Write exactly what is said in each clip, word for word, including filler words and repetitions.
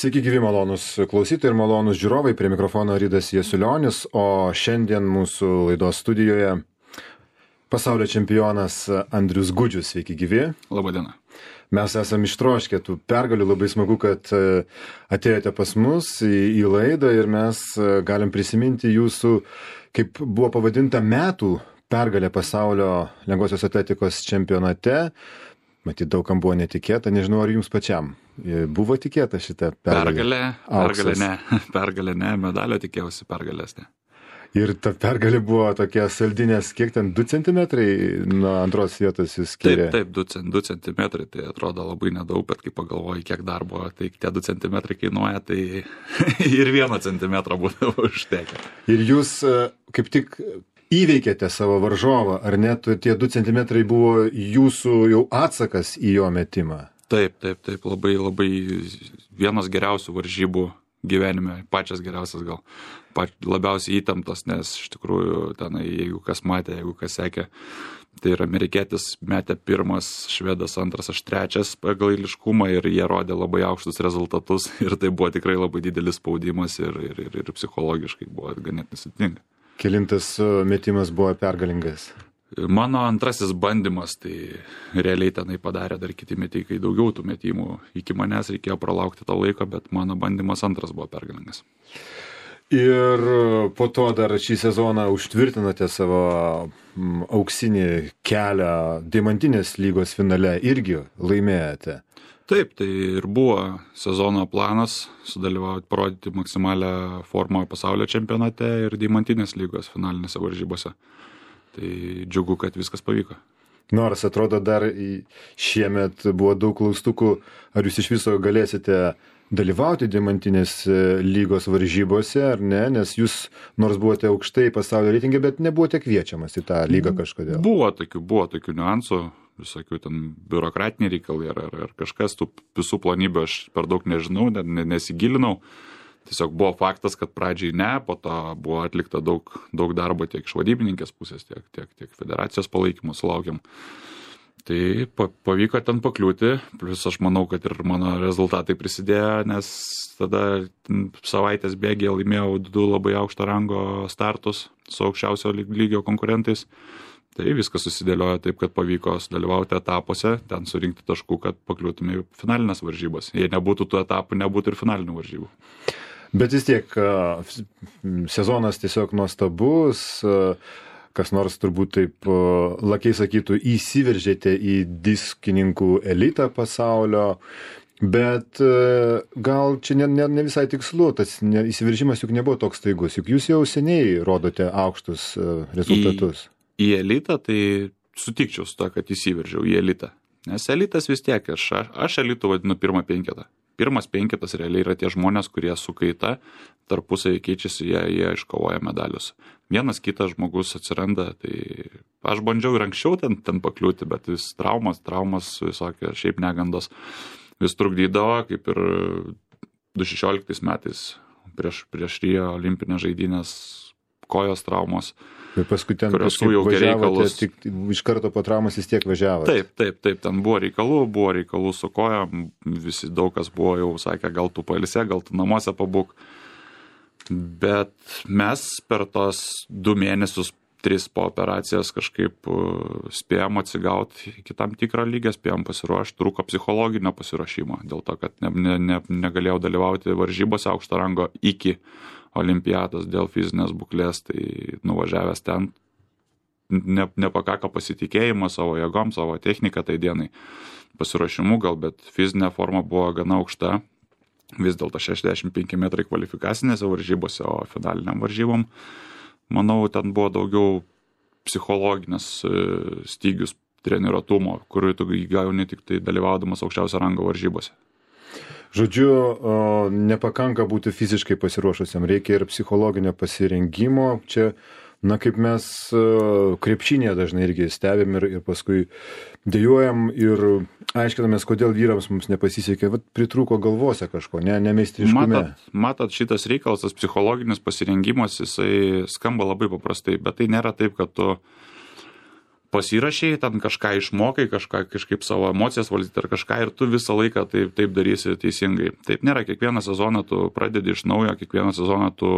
Sveiki gyvi malonus klausytojai ir malonus žiūrovai, prie mikrofono Ridas Jasiulionis, o šiandien mūsų laidos studijoje pasaulio čempionas Andrius Gudžius. Sveiki gyvi. Labadiena. Mes esame ištroškę tų pergalių, labai smagu, kad atėjote pas mus į, į laidą ir mes galim prisiminti jūsų, kaip buvo pavadinta, metų pergalė pasaulio lengvosios atletikos čempionate. Matyt, daugam buvo netikėta, nežinau, ar jums pačiam buvo tikėta šitą pergalę? Pergalė, pergalė ne, pergalė ne, medalio tikėjausi, pergalės ne. Ir ta pergalė buvo tokia saldinės, kiek ten, du centimetrai nuo antros vietos jūs skyrė? Taip, taip, du centimetrai, tai atrodo labai nedaug, bet kai pagalvoji, kiek darbo, tai tie du centimetrai kainuoja, tai ir vieno centimetro būdavo užtekę. Ir jūs kaip tik įveikėte savo varžovą, ar net tie du centimetrai buvo jūsų jau atsakas į jo metimą? Taip, taip, taip, labai, labai vienas geriausių varžybų gyvenime, pačias geriausias gal, pač, labiausiai įtemptas, nes iš tikrųjų tenai, jeigu kas matė, jeigu kas sekė, tai ir amerikietis metė pirmas, švedas antras, aš trečias pagal eiliškumą ir jie rodė labai aukštus rezultatus ir tai buvo tikrai labai didelis spaudimas ir, ir, ir, ir psichologiškai buvo ganėtinai sudėtinga. Kelintas metimas buvo pergalingas? Mano antrasis bandymas, tai realiai tenai padarė dar kiti metikai daugiau tų metimų. Iki manęs reikėjo pralaukti tą laiką, bet mano bandymas antras buvo pergalingas. Ir po to dar šį sezoną užtvirtinote savo auksinį kelią Deimantinės lygos finale, irgi laimėjote. Taip, tai ir buvo sezono planas sudalyvauti, parodyti maksimalią formą pasaulio čempionate ir Deimantinės lygos finalinėse varžybose. Tai džiugu, kad viskas pavyko. Nors atrodo dar šiemet buvo daug klaustukų, ar jūs iš viso galėsite dalyvauti Deimantinės lygos varžybose, ar ne, nes jūs nors buvote aukštai pasaulio reitinge, bet nebuvote kviečiamas į tą lygą kažkodėl. Buvo tokių, buvo tokių niuansų, visokių ten biurokratiniai reikalai ar, ar, ar kažkas, tų visų plonybių aš per daug nežinau, nesigilinau. Tiesiog buvo faktas, kad pradžiai ne, po to buvo atlikta daug, daug darbo tiek iš vadybininkės pusės, tiek, tiek, tiek federacijos palaikymų sulaukiam. Tai pavyko ten pakliūti, plus aš manau, kad ir mano rezultatai prisidėjo, nes tada savaitės bėgėje laimėjau du labai aukšto rango startus su aukščiausio lygio konkurentais. Tai viskas susidėliojo taip, kad pavyko sudalyvauti etapuose, ten surinkti taškų, kad pakliūtume į finalinės varžybas. Jei nebūtų tų etapų, nebūtų ir finalinių varžybų. Bet vis tiek sezonas tiesiog nuostabus, kas nors turbūt taip lakiai sakytų, įsiveržėte į diskininkų elitą pasaulio, bet gal čia ne, ne, ne visai tikslu, tas įsiveržimas juk nebuvo toks staigus, juk jūs jau seniai rodote aukštus rezultatus. Į, į elitą tai sutikčiau su to, kad įsiveržiau į elitą, nes elitas vis tiek, aš, aš elitų vadinu pirmą penketą. Pirmas penketas realiai yra tie žmonės, kurie su kaita tarpusai keičiasi, jie, jie iškovoja medalius. Vienas kitas žmogus atsiranda, tai aš bandžiau ir anksčiau ten, ten pakliūti, bet vis traumas, traumas, visokie šiaip negandos vis trukdydavo, kaip ir du tūkstančiai šešioliktais metais prieš, prieš Rio olimpinės žaidynės kojos traumos. Ir paskui ten kažkaip važiavote, tik iš karto po traumas vis tiek važiavote. Taip, taip, taip, ten buvo reikalų, buvo reikalų su kojom, visi daug kas buvo jau sakė, gal tu pailsė, gal tu namuose pabūk. Bet mes per tos du mėnesius, tris po operacijos kažkaip spėjom atsigauti iki tam tikrą lygį, spėjom pasiruošti, trūko psichologinio pasiruošimo, dėl to, kad ne, ne, ne, negalėjau dalyvauti varžybose aukšto rango iki olimpiados dėl fizinės būklės, tai nuvažiavęs ten ne, nepakako pasitikėjimo savo jėgom, savo techniką tai dienai pasiruošimu gal, bet fizinė forma buvo gana aukšta, vis dėlto šešiasdešimt penki metrai kvalifikacinėse varžybose, o finaliniam varžybom, manau, ten buvo daugiau psichologinės stygius treniruotumo, kuriuo tu gauni tik tai dalyvaudamas aukščiausio rango varžybose. Žodžiu, nepakanka būti fiziškai pasiruošusiam, reikia ir psichologinio pasirengimo. Čia, na, kaip mes krepšinėje dažnai irgi stebim ir, ir paskui dejuojam ir aiškinamės, kodėl vyrams mums nepasisekė. Vat pritrūko galvose kažko, ne, ne meistriškume. Matot, matot, šitas reikalas, tas psichologinis pasirengimas, jisai skamba labai paprastai, bet tai nėra taip, kad tu pasirašiai, ten kažką išmokai, kažką, kažkaip savo emocijas valdyti ar kažką ir tu visą laiką taip, taip darysi teisingai. Taip nėra, kiekvieną sezoną tu pradedi iš naujo, kiekvieną sezoną tu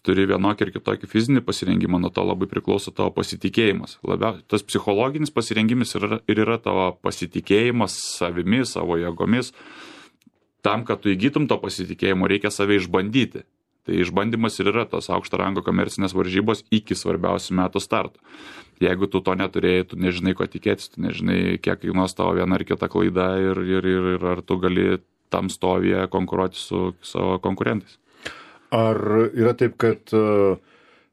turi vienokį ir kitokį fizinį pasirengimą, nuo to labai priklauso tavo pasitikėjimas. Labiau, tas psichologinis pasirengimas ir yra, ir yra tavo pasitikėjimas savimi, savo jėgomis. Tam, kad tu įgytum to pasitikėjimo, reikia save išbandyti. Tai išbandymas ir yra tos aukšto rango komercinės varžybos iki svarbiausių metų starto. Jeigu tu to neturėjai, tu nežinai, ko tikėtis, tu nežinai, kiek kainuos tavo viena ar kita klaida ir, ir, ir, ir ar tu gali tam stovyje konkuruoti su savo konkurentais. Ar yra taip, kad uh,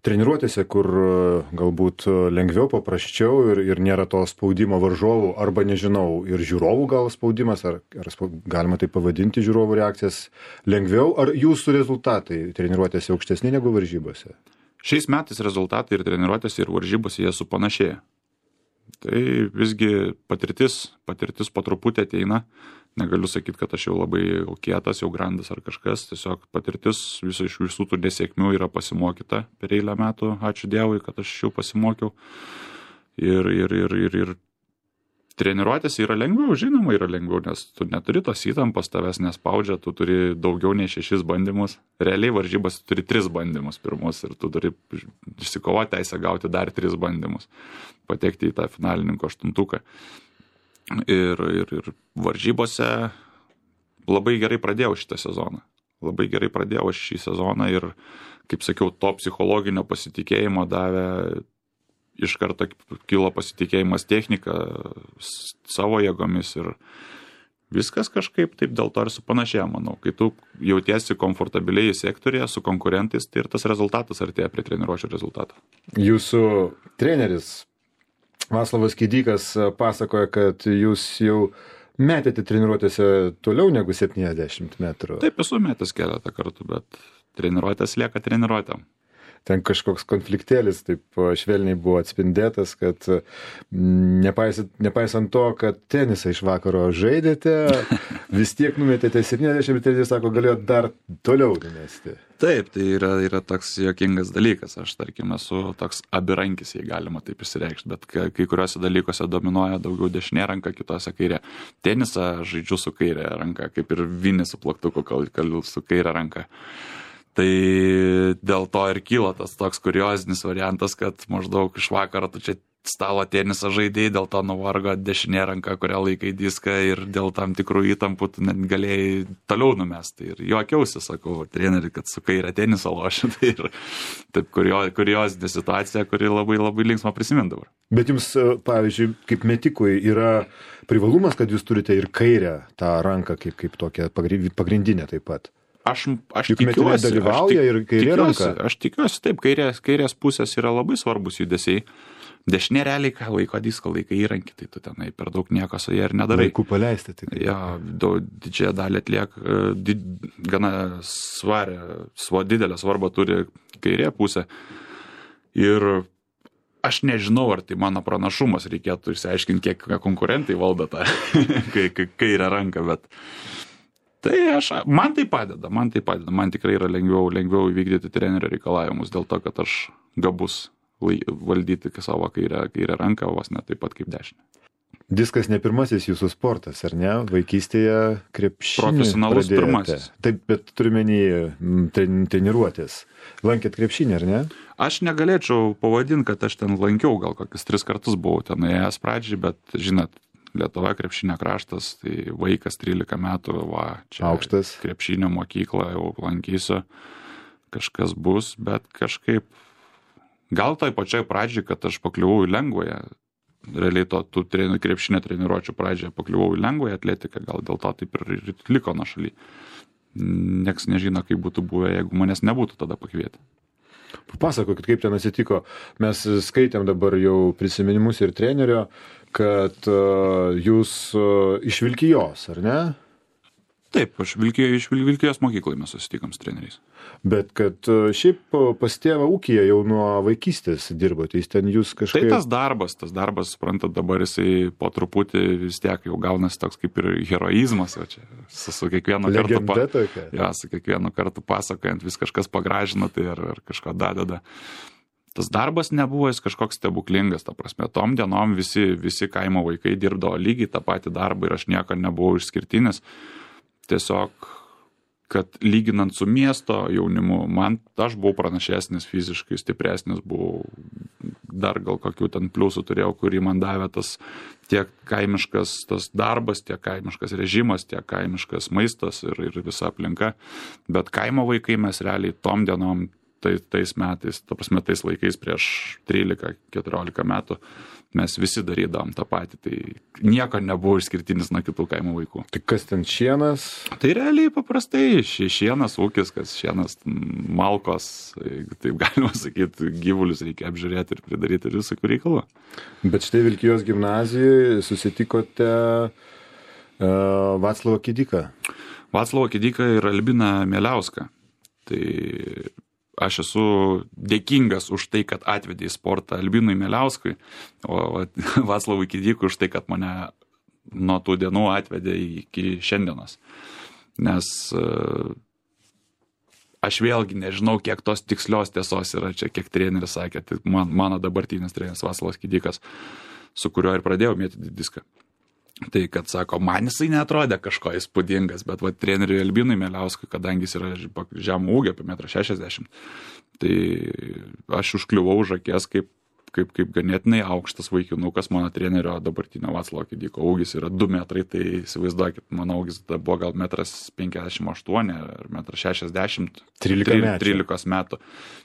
treniruotėse, kur uh, galbūt uh, lengviau, paprasčiau ir, ir nėra to spaudimo varžovų, arba nežinau, ir žiūrovų gal spaudimas, ar, ar spaud, galima tai pavadinti žiūrovų reakcijas lengviau, ar jūsų rezultatai treniruotėse aukštesni negu varžybose? Šiais metais rezultatai ir treniruotėse ir varžybose jie supanašėja. Tai visgi patirtis, patirtis po truputį ateina. Negaliu sakyti, kad aš jau labai jau kietas, jau grandas ar kažkas. Tiesiog patirtis viso iš visų tų nesėkmių yra pasimokyta per eilę metų. Ačiū Dievui, kad aš jau pasimokiau. Ir, ir, ir, ir, ir treniruotės yra lengviau, žinoma, yra lengviau, nes tu neturi tos įtampos, tavęs nespaudžia, tu turi daugiau nei šešis bandymus. Realiai varžybas turi tris bandymus pirmus ir tu turi išsikovoti teisę gauti dar tris bandymus, patekti į tą finalininko aštuntuką. Ir, ir, ir varžybose labai gerai pradėjau šitą sezoną. Labai gerai pradėjau šį sezoną ir, kaip sakiau, to psichologinio pasitikėjimo davė, iš karto kilo pasitikėjimas technika, savo jėgomis ir viskas kažkaip taip dėl to ir supanašėjo, manau. Kai tu jautiesi komfortabiliai sektorėje su konkurentais, tai ir tas rezultatas artėja prie treniruočio rezultato. Jūsų treneris Vaclovas Kidykas pasakoja, kad jūs jau metėte treniruotėse toliau negu septyniasdešimt metrų. Taip, esu metęs keletą kartų, bet treniruotės lieka treniruotėm. Ten kažkoks konfliktėlis taip švelniai buvo atspindėtas, kad nepaisant, nepaisant to, kad tenisą iš vakaro žaidėte, vis tiek numetėte septyniasdešimt, bet treneris sako, galėjo dar toliau numesti. Taip, tai yra, yra toks juokingas dalykas. Aš, tarkim, esu toks abirankis, jei galima taip išsireikšti, bet kai kuriuose dalykuose dominuoja daugiau dešinė ranka, kitose kairė. Tenisą žaidžiu su kairė ranka, kaip ir vinį su plaktuku, kaliu su kairė ranka. Tai dėl to ir kyla tas toks kuriozinis variantas, kad maždaug iš vakaro tu čia stalo tenisą žaidėjai, dėl to nuvargo dešinė ranka, kurią laikai diską ir dėl tam tikrų įtampų tu net galėjai toliau numesti. Ir juokiausi, sakau, treneri, kad su kairė tenisą lošiu. Tai ir taip kurio, kuriozinė situacija, kuri labai labai linksma prisimindavo. Bet jums, pavyzdžiui, kaip metikui yra privalumas, kad jūs turite ir kairę tą ranką kaip, kaip tokią pagrindinę taip pat. Aš, aš Juk tikiuosi, dalyvauja aš, ir kairė tikiuosi, ranka. aš tikiuosi, taip, kairės, kairės pusės yra labai svarbus judesiai. Dešinė realiai, ką laiko diską, laikai įrankį, tai tu tenai per daug nieko su jie ir nedarai. Laiku paleisti. Tai jo, didžiąją dalį atliek, did, gana svarę, savo didelę svarbą turi kairė pusė. Ir aš nežinau, ar tai mano pranašumas, reikėtų išsiaiškinti, kiek konkurentai valdo tą kairę ranką, bet tai aš, man tai padeda, man tai padeda, man tikrai yra lengviau, lengviau įvykdyti trenerio reikalavimus dėl to, kad aš gabus valdyti savo kairę, kairę ranką, vos ne taip pat kaip dešinę. Diskas ne pirmasis jūsų sportas, ar ne? Vaikystėje krepšinį profesionalus pradėjote. Pirmasis. Taip, bet turime treniruotės. Lankėt krepšinį, ar ne? Aš negalėčiau pavadinti, kad aš ten lankiau, gal kokius tris kartus buvau ten ėjęs pradžiai, bet žinot, Lietuva krepšinio kraštas, tai vaikas trylika metų, va, čia aukštas krepšinio mokyklą jau lankysiu, kažkas bus, bet kažkaip, gal tai pačiai pradžiai, kad aš pakliuvau į lengvąją, realiai to tų treni, krepšinio treniruočių pradžioje pakliuvau į lengvąją atletiką, gal dėl to taip ir, ir liko nuo šaly. Niekas nežino, kaip būtų buvę, jeigu manęs nebūtų tada pakvietę. Papasakokit, kaip ten atsitiko. Mes skaitėm dabar jau prisiminimus ir trenerio, kad uh, jūs uh, iš Vilkijos, ar ne? Taip, aš Vilkijos, iš Vilkijos mokyklai mes susitikom su treneriais. Bet kad uh, šiaip pas tėvą ūkyje jau nuo vaikystės dirbote, jis ten jūs kažkaip... Tai tas darbas, tas darbas, suprantat, dabar jisai po truputį vis tiek jau gaunasi toks kaip ir heroizmas, o čia su, su kiekvienu kartu... Legenda tokia. Ja, su kiekvienu kartu pasakojant vis kažkas pagražina, tai ar, ar kažką dadeda. tas darbas nebuvo jis kažkoks stebuklingas, ta prasme, tom dienom visi, visi kaimo vaikai dirbdavo lygiai tą patį darbą ir aš nieko nebuvau išskirtinis. Tiesiog, kad lyginant su miesto jaunimu, man, aš buvau pranašesnis, fiziškai stipresnis, buvau dar gal kokių ten pliusų turėjau, kurį man davė tas tiek kaimiškas tas darbas, tiek kaimiškas režimas, tiek kaimiškas maistas ir, ir visa aplinka. Bet kaimo vaikai mes realiai tom dienom, tai, tais metais, ta prasme, tais laikais prieš trylika keturiolika metų, mes visi darydavom tą patį, tai nieko nebuvo išskirtinis nuo kitų kaimo vaikų. Tai kas ten šienas? Tai realiai paprastai šienas ūkis, kas šienas malkos, taip galima sakyti, gyvulius reikia apžiūrėti ir pridaryti ir visokių reikalų. Bet štai Vilkijos gimnazijoje susitikote uh, Vaclovą Kidiką. Vaclovą Kidiką ir Albiną Mieliauską. Tai aš esu dėkingas už tai, kad atvedė į sportą Albinui Mieliauskui, o Vaclovui Kidikui už tai, kad mane nuo tų dienų atvedė iki šiandienos. Nes aš vėlgi nežinau, kiek tos tikslios tiesos yra čia, kiek treneris sakė, tai man, mano dabartinis treneris Vaclovas Kidikas, su kuriuo ir pradėjau mėtyti diską. Tai, kad sako, man jisai neatrodė kažko įspūdingas, bet va, treneriui Albinui Mieliauskui, kadangi jis yra žemų ūgio, apie metras šešiasdešimt, tai aš užkliuvau už akės kaip, kaip, kaip ganėtinai aukštas vaikinukas, mano trenerio dabartinio Vaclovo Kidiko ūgis yra du metrai, tai įsivaizduokit, mano ūgis buvo gal metras penkiasdešimt aštuoni ar metras šešiasdešimt, trylika metų.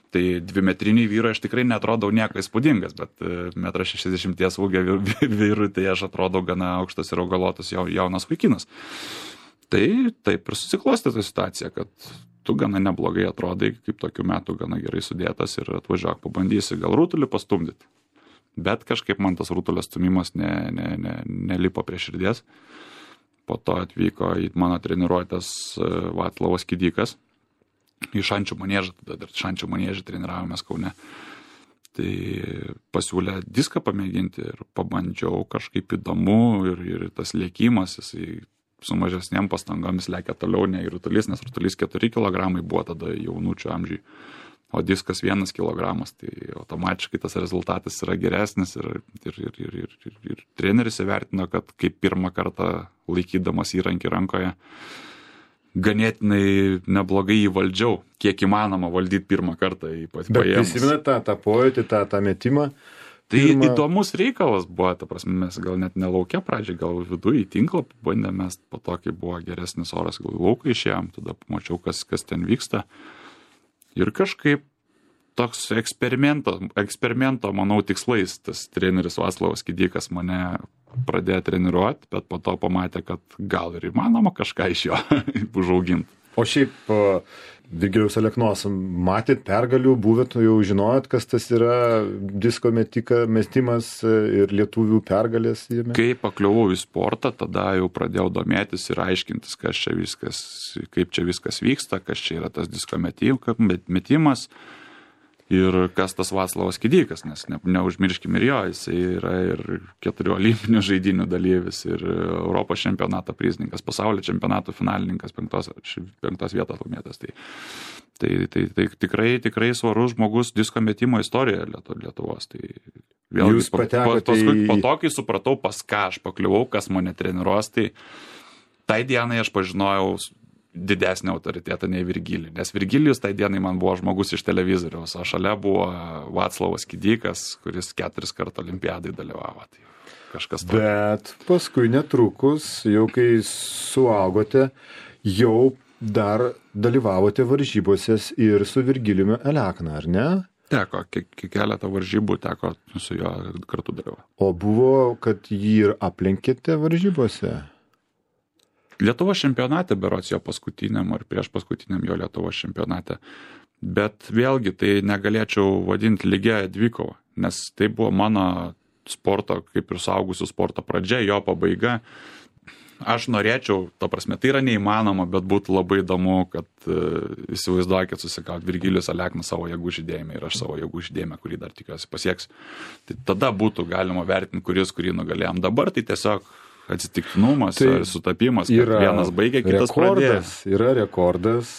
Tai dvimetriniai vyrai aš tikrai netrodau nieko įspūdingas, bet metras šešiasdešimties ūgio vyrui tai aš atrodau gana aukštas ir augalotas jaunas vaikinas. Tai taip ir susiklostė ta situacija, kad tu gana neblogai atrodai, kaip tokių metų gana gerai sudėtas ir atvažiuok, pabandysi gal rutulį pastumdyti. Bet kažkaip man tas rutulio stumimas ne, ne, ne, nelipo prie širdies. Po to atvyko į mano treniruotės Vaclovas Kidikas. Į Šančių maniežą, tada dar Šančių maniežą treniravomės Kaune. Tai pasiūlė diską pamėginti ir pabandžiau kažkaip įdomu ir, ir tas lėkimas, jisai su mažesnėm pastangomis lekia toliau nei rutulys, nes rutulys keturi kilogramai buvo tada jaunučių amžiui, o diskas vienas kilogramas, tai automatiškai tas rezultatas yra geresnis ir, ir, ir, ir, ir, ir, ir treneris įvertino, kad kaip pirmą kartą laikydamas įrankį rankoje, ganėtinai neblogai įvaldžiau, kiek įmanoma valdyti pirmą kartą į paėmus. Bet prisimenat tą, tą pojūtį, tą, tą metimą? Tai pirmą... įdomus reikalas buvo, ta prasme, mes gal net nelaukia pradžiai, gal viduje į tinklą bandėm, mes po to, kai buvo geresnis oras, gal į lauką išėjom, tada pamačiau, kas, kas ten vyksta. Ir kažkaip toks eksperimento, eksperimento, manau, tikslais tas treneris Vaclovas Kidikas mane pradėjo treniruoti, bet po to pamatė, kad gal ir įmanoma kažką iš jo užauginti. O šiaip Virgiliaus Aleknos, matėt pergalių, buvėt, jau žinojot, kas tas yra disko metika, mestimas ir lietuvių pergalės jame? Kai pakliuvau į sportą, tada jau pradėjau domėtis ir aiškintis, kas čia viskas, kaip čia viskas vyksta, kas čia yra tas disko metimas. Ir kas tas Vaclovas Kidikas, nes ne, neužmirškim ir jo, jisai yra ir keturių olimpinių žaidynių dalyvis, ir Europos čempionato prizininkas, pasaulio čempionato finalininkas, penktos, penktos vietos laimėtas. Tai, tai, tai, tai tikrai, tikrai svarus žmogus disko metimo istorijoje Lietuvos. Tai vėlgi, Jūs patekote paskui, į... po to, kai supratau, pas ką aš pakliuvau, kas mane treniruos, tai tai dienai aš pažinojau didesnį autoritetą nei Virgilijų. Nes Virgilijus tai dienai man buvo žmogus iš televizoriaus, o šalia buvo Vaclovas Kidikas, kuris keturis kartų olimpiadai dalyvavo. Tai kažkas to. Bet paskui netrukus, jau kai suaugote, jau dar dalyvavote varžybose ir su Virgilijumi Alekna, ar ne? Teko, keletą varžybų teko su juo kartu dalyvauti. O buvo, kad jį ir aplenkėte varžybose? Lietuvos čempionate, berods jo paskutiniam ar prieš paskutiniam jo Lietuvos čempionate. Bet vėlgi tai negalėčiau vadinti lygia dvikova, nes tai buvo mano sporto, kaip ir suaugusių sporto pradžia, jo pabaiga. Aš norėčiau, ta prasme, tai yra neįmanoma, bet būtų labai įdomu, kad uh, įsivaizduokit susikauti Virgilijus Alekna savo jėgų žydėjime ir aš savo jėgų žydėjime, kurį dar tikiuosi pasieks. Tai tada būtų galima vertinti, kuris, kurį nugalėjom. Dabar tai tiesiog atsitiktinumas, tai sutapimas, kad vienas baigė, kitas pradėjo. Yra rekordas,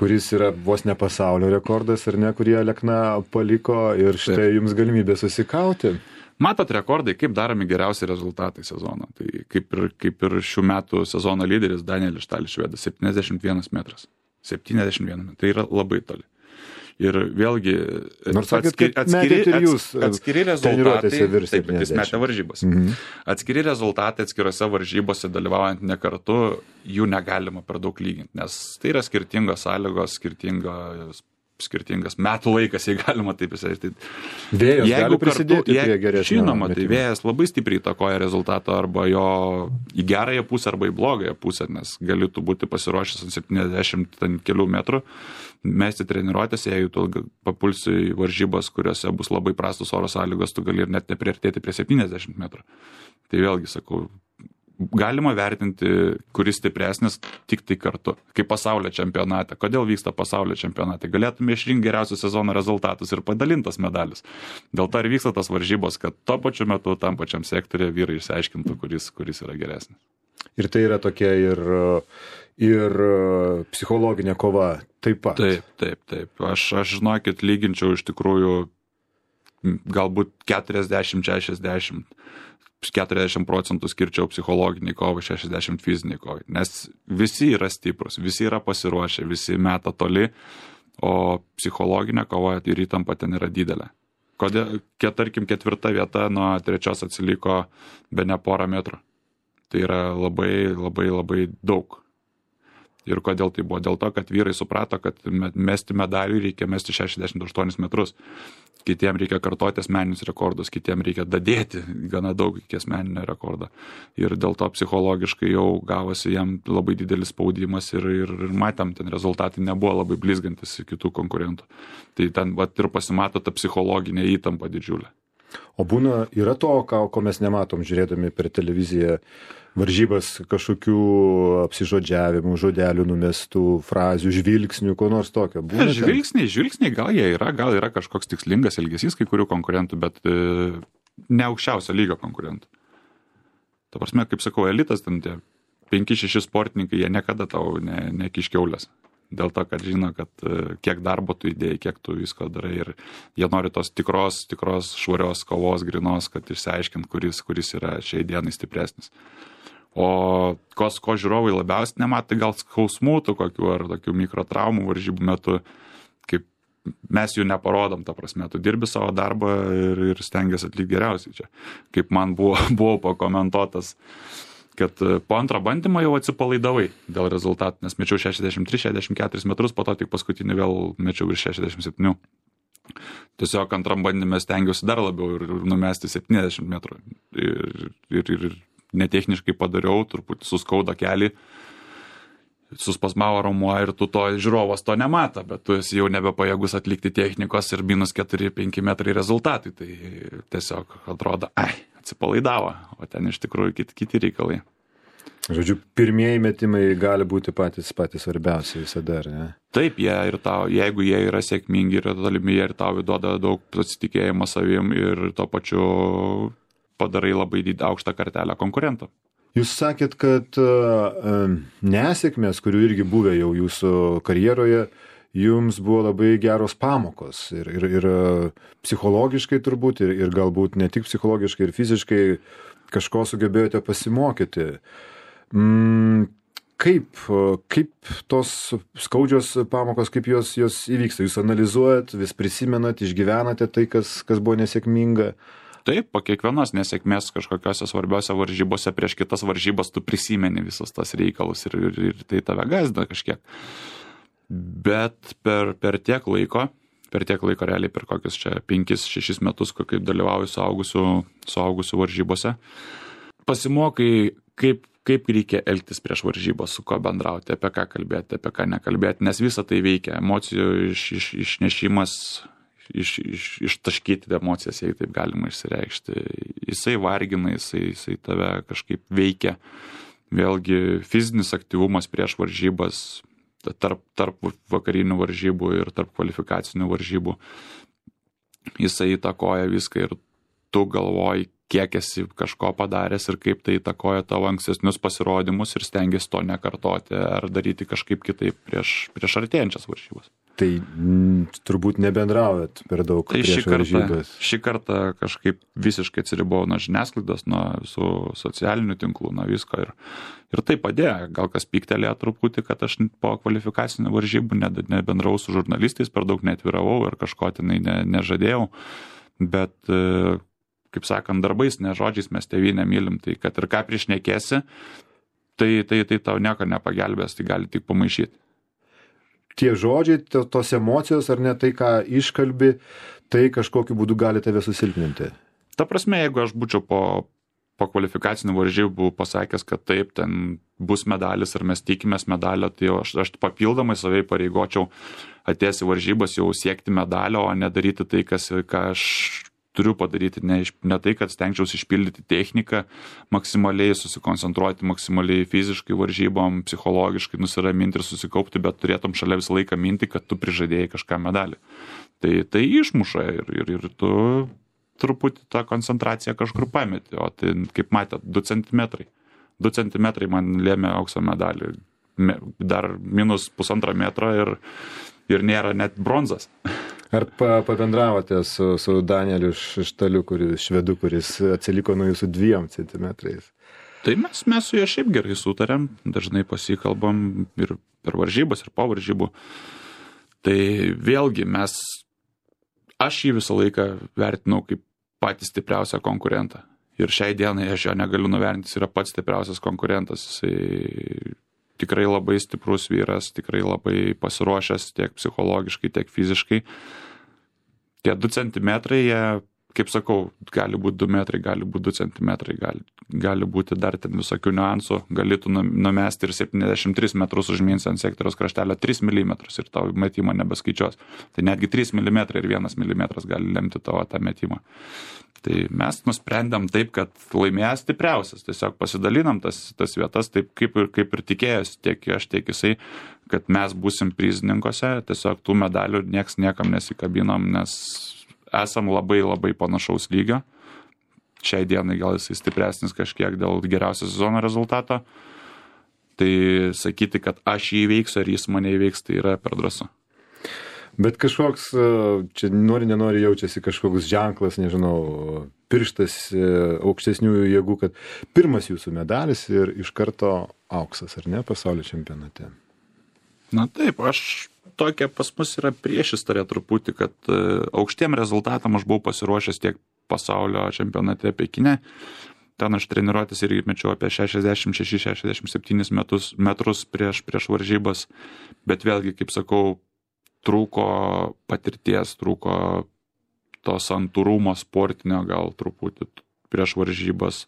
kuris yra vos ne pasaulio rekordas, ar ne, kurį Alekna paliko ir štai Taip. Jums galimybė susikauti. Matot rekordai, kaip daromi geriausi rezultatai sezono. Tai kaip ir, kaip ir šių metų sezono lyderis Danielis Štalis švedas, septyniasdešimt vienas metras. septyniasdešimt vienas metras. Tai yra labai toli. Ir vėlgi Nors atskiri, atskiri, jūs, atskiri rezultatai, taip, jis metė varžybos. Mhm. Atskiri rezultatai atskirose varžybose dalyvaujant ne kartu, jų negalima per daug lyginti, nes tai yra skirtingos sąlygos, skirtingos skirtingas metų laikas, jei galima taip įsivaizduoti. Vėjas gali prisidėti prie geresnio. Žinoma, tai vėjas labai stipriai įtakoja rezultatą arba jo į gerąją pusę arba į blogąją pusę, nes gali tu būti pasiruošęs ant septyniasdešimt kelių metrų, mesti treniruotės, jei tu papulsi į varžybas, kuriuose bus labai prastos oro sąlygos, tu gali ir net nepriartėti prie septyniasdešimt metrų. Tai vėlgi sakau, galima vertinti, kuris stipresnis tik tai kartu, kaip pasaulio čempionate. Kodėl vyksta pasaulio čempionate? Galėtume išrinkti geriausius sezono rezultatus ir padalintas medalis. Dėl to ir vyksta tas varžybos, kad tuo pačiu metu tam pačiam sektoriuje vyrai išsiaiškintų, kuris, kuris yra geresnis. Ir tai yra tokia ir, ir psichologinė kova taip pat. Taip, taip, taip. Aš, aš žinokit, lyginčiau iš tikrųjų galbūt keturiasdešimt šešiasdešimt. keturiasdešimt procentų skirčiau psichologiniai kovai, šešiasdešimt fiziniai kovai. Nes visi yra stiprus, visi yra pasiruošę, visi meta toli, o psichologinė kova ir įtampa ten yra didelė. Kodėl, tarkim, ketvirta vieta nuo trečios atsiliko be ne porą metrų. Tai yra labai, labai, labai daug. Ir kodėl tai buvo? Dėl to, kad vyrai suprato, kad mesti medalių reikia mesti šešiasdešimt aštuonis metrus. Kitiem reikia kartoti asmeninius rekordus, kitiem reikia dadėti gana daug iki asmeninio rekordo. Ir dėl to psichologiškai jau gavosi jam labai didelis spaudimas ir, ir, ir matėm, ten rezultatai nebuvo labai blizgantis kitų konkurentų. Tai ten vat, ir pasimato ta psichologinė įtampa didžiulė. O būna, yra to, ko mes nematom žiūrėdami per televiziją, varžybas kažkokių apsižodžiavimų, žodelių numestų, frazių, žvilgsnių, ko nors tokio. Būna žvilgsniai, žvilgsniai gal jie yra, gal yra kažkoks tikslingas elgesys kai kurių konkurentų, bet e, ne aukščiausio lygio konkurentų. Ta prasme, kaip sakau, elitas, ten tie penki šeši sportininkai, jie niekada tau ne, nekiškiaulės. Dėl to, kad žino, kad kiek darbo tu įdėjai, kiek tu visko darai ir jie nori tos tikros, tikros švarios kovos, grinos, kad išsiaiškint, kuris, kuris yra šiai dienai stipresnis. O kos, ko žiūrovai labiausiai nematai, gal skausmų tų kokių ar tokių mikrotraumų varžybų metu, kaip mes jų neparodom, ta prasme, tu dirbi savo darbą ir, ir stengiasi atlikti geriausiai čia. Kaip man buvo, buvo pakomentuotas, kad po antro bandymo jau atsipalaidavai dėl rezultatų, nes mečiau šešiasdešimt tris šešiasdešimt keturis metrus, po to tik paskutinį vėl mečiau virš šešiasdešimt septyni. Tiesiog antram bandyme stengiausi dar labiau ir numesti septyniasdešimt metrų. Ir, ir, ir netechniškai padariau, truputį suskauda kelį, suspasmavo raumuo ir tu to žiūrovas to nemata, bet tu esi jau nebepajėgus atlikti technikos ir minus keturi penki metrai rezultatai. Tai tiesiog atrodo, ai, atsipalaidavo, o ten iš tikrųjų kiti, kiti reikalai. Žodžiu, pirmieji metimai gali būti patys, patys svarbiausi visada, ar ne? Taip, jie ir tau, jeigu jie yra sėkmingi ir tolimi, jie ir tau duoda daug pasitikėjimo savim ir to pačiu padarai labai did, aukštą kartelę konkurentą. Jūs sakėt, kad uh, nesėkmės, kurių irgi buvę jau jūsų karjeroje, jums buvo labai geros pamokos ir, ir, ir psichologiškai turbūt, ir, ir galbūt ne tik psichologiškai, ir fiziškai kažko sugebėjote pasimokyti. Mm, kaip, kaip tos skaudžios pamokos, kaip jos, jos įvyksta? Jūs analizuojat, vis prisimenat, išgyvenate tai, kas, kas buvo nesėkminga? Taip, po kiekvienos nesėkmės kažkokiose svarbiose varžybose prieš kitas varžybas tu prisimeni visus tas reikalus ir, ir, ir tai tave gąsdina kažkiek. Bet per, per tiek laiko, per tiek laiko realiai per kokius čia penkis šešis metus, kaip dalyvauju suaugusių, suaugusių varžybose, pasimokai, kaip, kaip reikia elgtis prieš varžybos, su ko bendrauti, apie ką kalbėti, apie ką nekalbėti, nes visa tai veikia, emocijų iš, iš, išnešimas, iš, iš, ištaškyti emocijas, jei taip galima išsireikšti. Jisai vargina, jisai, jisai tave kažkaip veikia. Vėlgi fizinis aktyvumas prieš varžybas, tarp, tarp vakarinių varžybų ir tarp kvalifikacinių varžybų. Jisai įtakoja viską ir tu galvoji, kiek esi kažko padaręs ir kaip tai įtakoja tavo ankstesnius pasirodymus ir stengiasi to nekartoti ar daryti kažkaip kitaip prieš, prieš artėjančias varžybas. Tai m, turbūt nebendraujat per daug tai prieš šį kartą, varžybas. Šį kartą kažkaip visiškai atsiribojau nuo žiniasklaidos, nuo visų socialinių tinklų, nuo visko ir, ir tai padėjo. Gal kas pyktelėjo truputį, kad aš po kvalifikacinių varžybų nebendravau su žurnalistais, per daug neatviravau ir kažko tenai ne, nežadėjau, bet kaip sakant, darbais, ne žodžiais mes tėvynę mylim, tai kad ir ką priešnekėsi, tai, tai, tai tau nieko nepagelbės, tai gali tik pamaišyti. Tie žodžiai, tos emocijos ar ne tai, ką iškalbi, tai kažkokiu būdu gali tave susilpninti. Ta prasme, jeigu aš būčiau po, po kvalifikacinių varžybų pasakęs, kad taip, ten bus medalis ir mes tikimės medalio, tai aš, aš papildomai savai pareigočiau atėjęs į varžybas jau siekti medalio, o nedaryti tai, kas, ką aš turiu padaryti, ne, ne tai, kad stengčiausi išpildyti techniką, maksimaliai susikoncentruoti, maksimaliai fiziškai varžybom, psichologiškai nusiraminti ir susikaupti, bet turėtum šalia visą laiką minti, kad tu prižadėjai kažką medalį. Tai, tai išmuša ir, ir, ir tu truputį tą koncentraciją kažkur pameti, o tai, kaip matėt, du centimetrai. du centimetrai man lėmė aukso medalį, dar minus pusantro metro ir, ir nėra net bronzas. Ar pa, pabendravote su, su Danieliu Štaliu, kuris, švedu, kuris atsiliko nuo jūsų dviem centimetrais? Tai mes, mes su juo šiaip gerai sutarėm, dažnai pasikalbam ir per varžybas, ir po varžybų. Tai vėlgi mes, aš jį visą laiką vertinau kaip patį stipriausią konkurentą. Ir šiai dienai aš jo negaliu nuvertinti, jis yra pats stipriausias konkurentas. Jisai tikrai labai stiprus vyras, tikrai labai pasiruošęs tiek psichologiškai, tiek fiziškai. Tie du centimetrai, jie, kaip sakau, gali būti du metrai, gali būti du centimetrai, gali, gali būti dar ten visokių niuansų, galėtų numesti ir septyniasdešimt tris metrus užmins ant sektoriaus kraštelio tris milimetrus ir tavo metimą nebeskaičiuos. Tai netgi trys milimetrai ir vienas milimetras gali lemti tavo tą metimą. Tai mes nusprendėm taip, kad laimėjęs stipriausias, tiesiog pasidalinam tas, tas vietas taip, kaip ir, kaip ir tikėjęs, tiek aš, tiek jisai, kad mes būsim prizininkose, tiesiog tų medalių nieks niekam nesikabinom, nes esam labai labai panašaus lygio. Šiai dienai gal jisai stipresnis kažkiek dėl geriausio sezono rezultato. Tai sakyti, kad aš jį įveiksiu ar jis mane įveiks, tai yra per drąsu. Bet kažkoks, čia nori, nenori jaučiasi kažkoks ženklas, nežinau, pirštas aukštesniųjų jėgų, kad pirmas jūsų medalis ir iš karto auksas, ar ne, pasaulio čempionate? Na taip, aš tokia pas mus yra priešistorė truputį, kad aukštiem rezultatam aš buvau pasiruošęs tiek pasaulio čempionate Pekine. Ten aš treniruotis irgi mečiau apie šešiasdešimt šešis šešiasdešimt septynis metrus, metrus prieš, prieš varžybas, bet vėlgi, kaip sakau, trūko patirties, trūko to santūrumo sportinio gal truputį prieš varžybas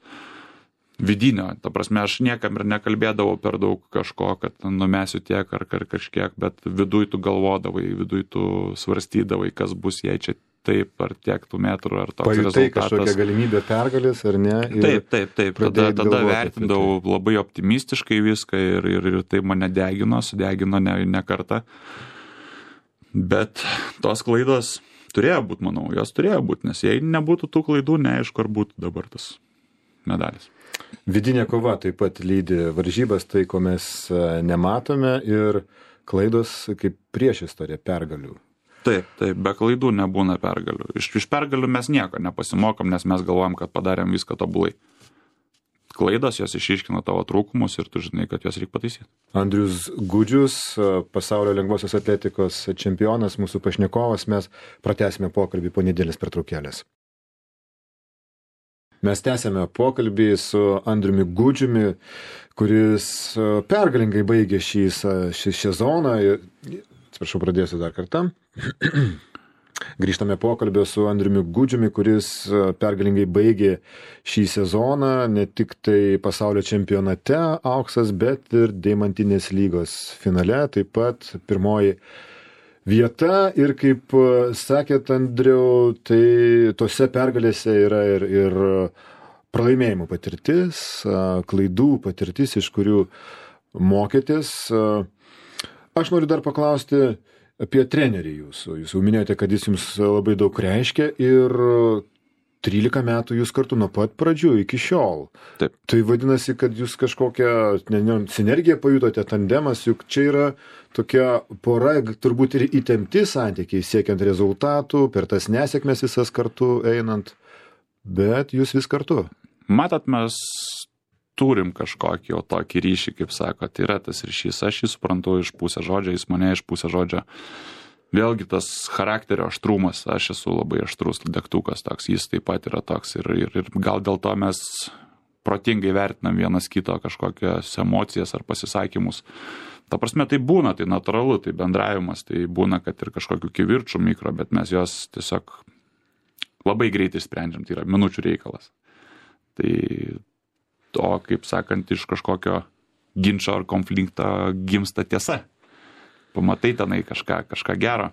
vidinio. Ta prasme, aš niekam ir nekalbėdavau per daug kažko, kad numesiu tiek ar, ar kažkiek, bet viduj tu galvodavai, viduj tu svarstydavai, kas bus, jei čia taip, ar tiek tų metrų, ar toks Pajutai rezultatas. kažkokią galimybę pergalės, ar ne? Taip, taip, taip. Tada, tada vertindavau tai. Labai optimistiškai viską ir, ir, ir tai mane degino, sudegino ne, ne kartą. Bet tos klaidos turėjo būti, manau, jos turėjo būti, nes jei nebūtų tų klaidų, neaišku, ar būtų dabar tas medalis. Vidinė kova taip pat lydi varžybas, tai ko mes nematome ir klaidos kaip priešistorė pergalių. Taip, taip, be klaidų nebūna pergalių. Iš, iš pergalių mes nieko nepasimokom, nes mes galvojam, kad padarėm viską tobulai. Klaidos, jos išiškina tavo trūkumus ir tu žinai, kad jos reikia pataisyti. Andrius Gudžius, pasaulio lengvosios atletikos čempionas, mūsų pašnekovas, mes pratęsime pokalbį po nedėlės pertraukėlės. Mes tęsėme pokalbį su Andriumi Gudžiumi, kuris pergalingai baigė šį, šį sezoną. Atsiprašau, pradėsiu dar kartą. Grįžtame pokalbio su Andriumi Gudžiumi, kuris pergalingai baigė šį sezoną, ne tik tai pasaulio čempionate auksas, bet ir Deimantinės lygos finale, taip pat pirmoji vieta. Ir kaip sakėt, Andriau, tai tose pergalėse yra ir, ir pralaimėjimų patirtis, klaidų patirtis, iš kurių mokėtės. Aš noriu dar paklausti apie trenerį jūsų. Jūs jau minėjote, kad jis jums labai daug reiškia ir trylika metų jūs kartu nuo pat pradžių iki šiol. Taip. Tai vadinasi, kad jūs kažkokią ne, ne, sinergiją pajutote, tandemas, juk čia yra tokia pora, turbūt ir įtempti santykiai, siekiant rezultatų, per tas nesėkmes visas kartu einant, bet jūs vis kartu. Matot, mes turim kažkokį jau tokį ryšį, kaip sako, tai yra tas ryšys, aš jį suprantu iš pusės žodžio, jis mane iš pusės žodžio. Vėlgi tas charakterio aštrumas, aš esu labai aštrus degtukas toks, jis taip pat yra toks ir, ir, ir gal dėl to mes protingai vertinam vienas kito kažkokias emocijas ar pasisakymus. Ta prasme, tai būna, tai natūralu, tai bendravimas, tai būna, kad ir kažkokių kivirčių mikro, bet mes juos tiesiog labai greitai sprendžiam, tai yra minučių reikalas. Tai to, kaip sakant, iš kažkokio ginčo ar konflikto gimsta tiesa. Pamatai tenai kažką, kažką gero.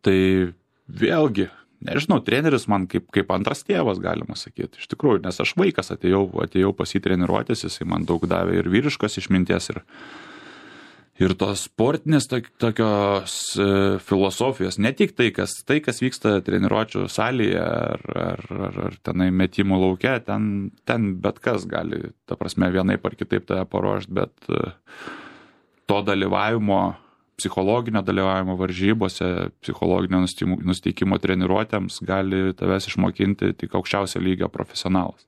Tai vėlgi, nežinau, treneris man kaip, kaip antras tėvas, galima sakyti, iš tikrųjų, nes aš vaikas atėjau, atėjau pas jį treniruotis, jisai man daug davė ir vyriškos išminties, ir, ir tos sportinės tokios e, filosofijos, ne tik tai kas, tai, kas vyksta treniruočių salėje ar, ar, ar, ar tenai metimų lauke, ten, ten bet kas gali, ta prasme, vienaip ar kitaip tave paruošti, bet e, to dalyvavimo, psichologinio dalyvavimo varžybose, psichologinio nusteikimo treniruotėms gali tavęs išmokinti tik aukščiausio lygio profesionalas.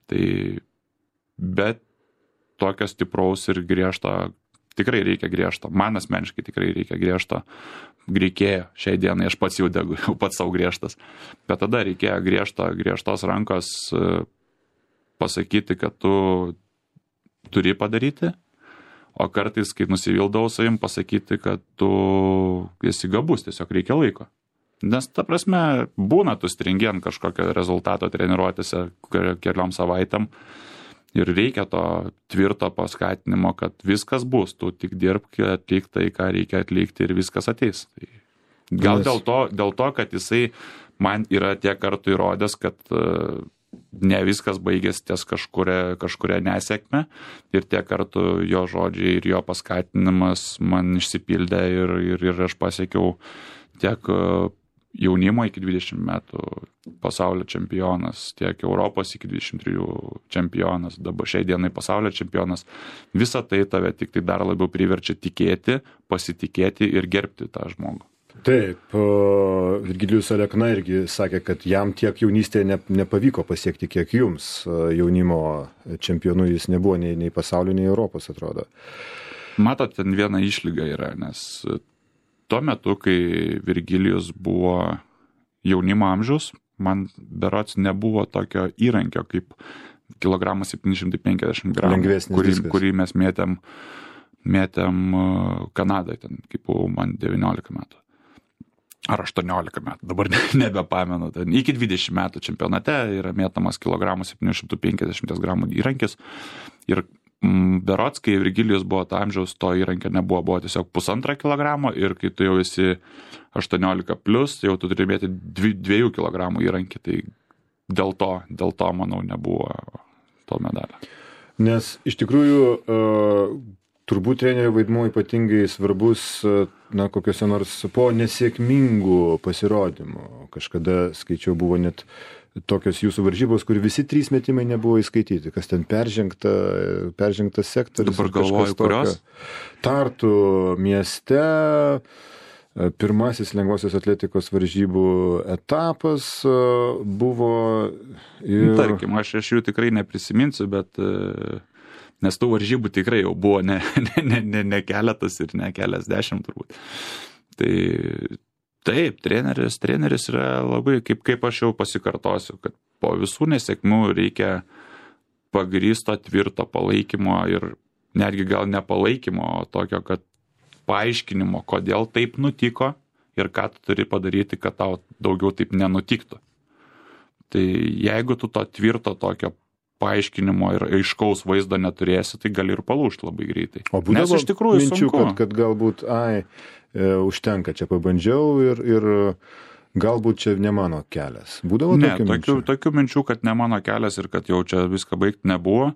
Tai bet tokio stipraus ir griežto, tikrai reikia griežto, man asmeniškai tikrai reikia griežto, reikėjo, šiai dienai aš pats jau degu, jau pats savo griežtas, bet tada reikėjo griežto, griežtos rankos pasakyti, kad tu turi padaryti, o kartais, kai nusivildavau savim, pasakyti, kad tu esi gabus, tiesiog reikia laiko. Nes, ta prasme, būna tu stringi ant kažkokio rezultato treniruotėse keliom savaitėm ir reikia to tvirto paskatinimo, kad viskas bus, tu tik dirbk, atlik tai, ką reikia atlikti ir viskas ateis. Tai gal dėl to, dėl to, kad jisai man yra tiek kartų įrodęs, kad ne viskas baigėsi ties kažkuria, kažkuria nesėkme ir tiek kartų jo žodžiai ir jo paskatinimas man išsipildė ir, ir, ir aš pasiekiau tiek jaunimo iki dvidešimt metų pasaulio čempionas, tiek Europos iki dvidešimt trijų čempionas, dabar šiai dienai pasaulio čempionas. Visa tai tave tik tai dar labiau priverčia tikėti, pasitikėti ir gerbti tą žmogų. Taip, Virgilijus Alekna irgi sakė, kad jam tiek jaunystėje ne, nepavyko pasiekti, kiek jums jaunimo čempionų jis nebuvo nei, nei pasaulio, nei Europos, atrodo. Matot, ten viena išlyga yra, nes tuo metu, kai Virgilijus buvo jaunimo amžiaus, man berods nebuvo tokio įrankio kaip kilogramas septyni šimtai penkiasdešimt gramų, kurį, kurį mes mėtėm, mėtėm Kanadai, ten, kaip buvo man devyniolika metų. Ar aštuoniolika metų, dabar nebepamenu. Ten iki dvidešimt metų čempionate yra mėtamas kilogramas septyni šimtai penkiasdešimt gramų įrankis. Ir mm, berods, kai Virgilijus buvo to amžiaus, to įrankio nebuvo, buvo tiesiog pusantrą kilogramo ir kai tu jau esi aštuoniolika plus, jau tu turi mėti dvi, dviejų kilogramų įrankį. Tai dėl to, dėl to, manau, nebuvo to medalio. Nes iš tikrųjų uh, turbūt trenerio vaidmuo ypatingai svarbus, na, kokiuose nors po nesėkmingų pasirodymų. Kažkada skaičiau, buvo net tokios jūsų varžybos, kur visi trys metimai nebuvo įskaityti. Kas ten peržengta, peržengtas sektorius. Dabar galvoju, kurios? Tartu mieste, pirmasis lengvosios atletikos varžybų etapas buvo. Ir... Tarkim, aš, aš jų tikrai neprisiminsiu, bet... Nes tų varžybų tikrai jau buvo ne, ne, ne, ne keletas ir ne keliasdešimt turbūt. Tai taip, treneris, treneris yra labai, kaip, kaip aš jau pasikartosiu, kad po visų nesėkmių reikia pagrįsto tvirto palaikymo ir netgi gal ne palaikymo, o tokio, kad paaiškinimo, kodėl taip nutiko ir ką tu turi padaryti, kad tau daugiau taip nenutiktų. Tai jeigu tu to tvirto tokio paaiškinimo ir aiškaus vaizdo neturėsi, tai gali ir palūžti labai greitai. O būdavo iš tikrųjų minčių, sunku. kad, kad galbūt, ai, e, užtenka, čia pabandžiau ir, ir galbūt čia ne mano kelias. Būdavo ne, tokių tokių, minčių? tokių minčių, kad ne mano kelias ir kad jau čia viską baigti nebuvo.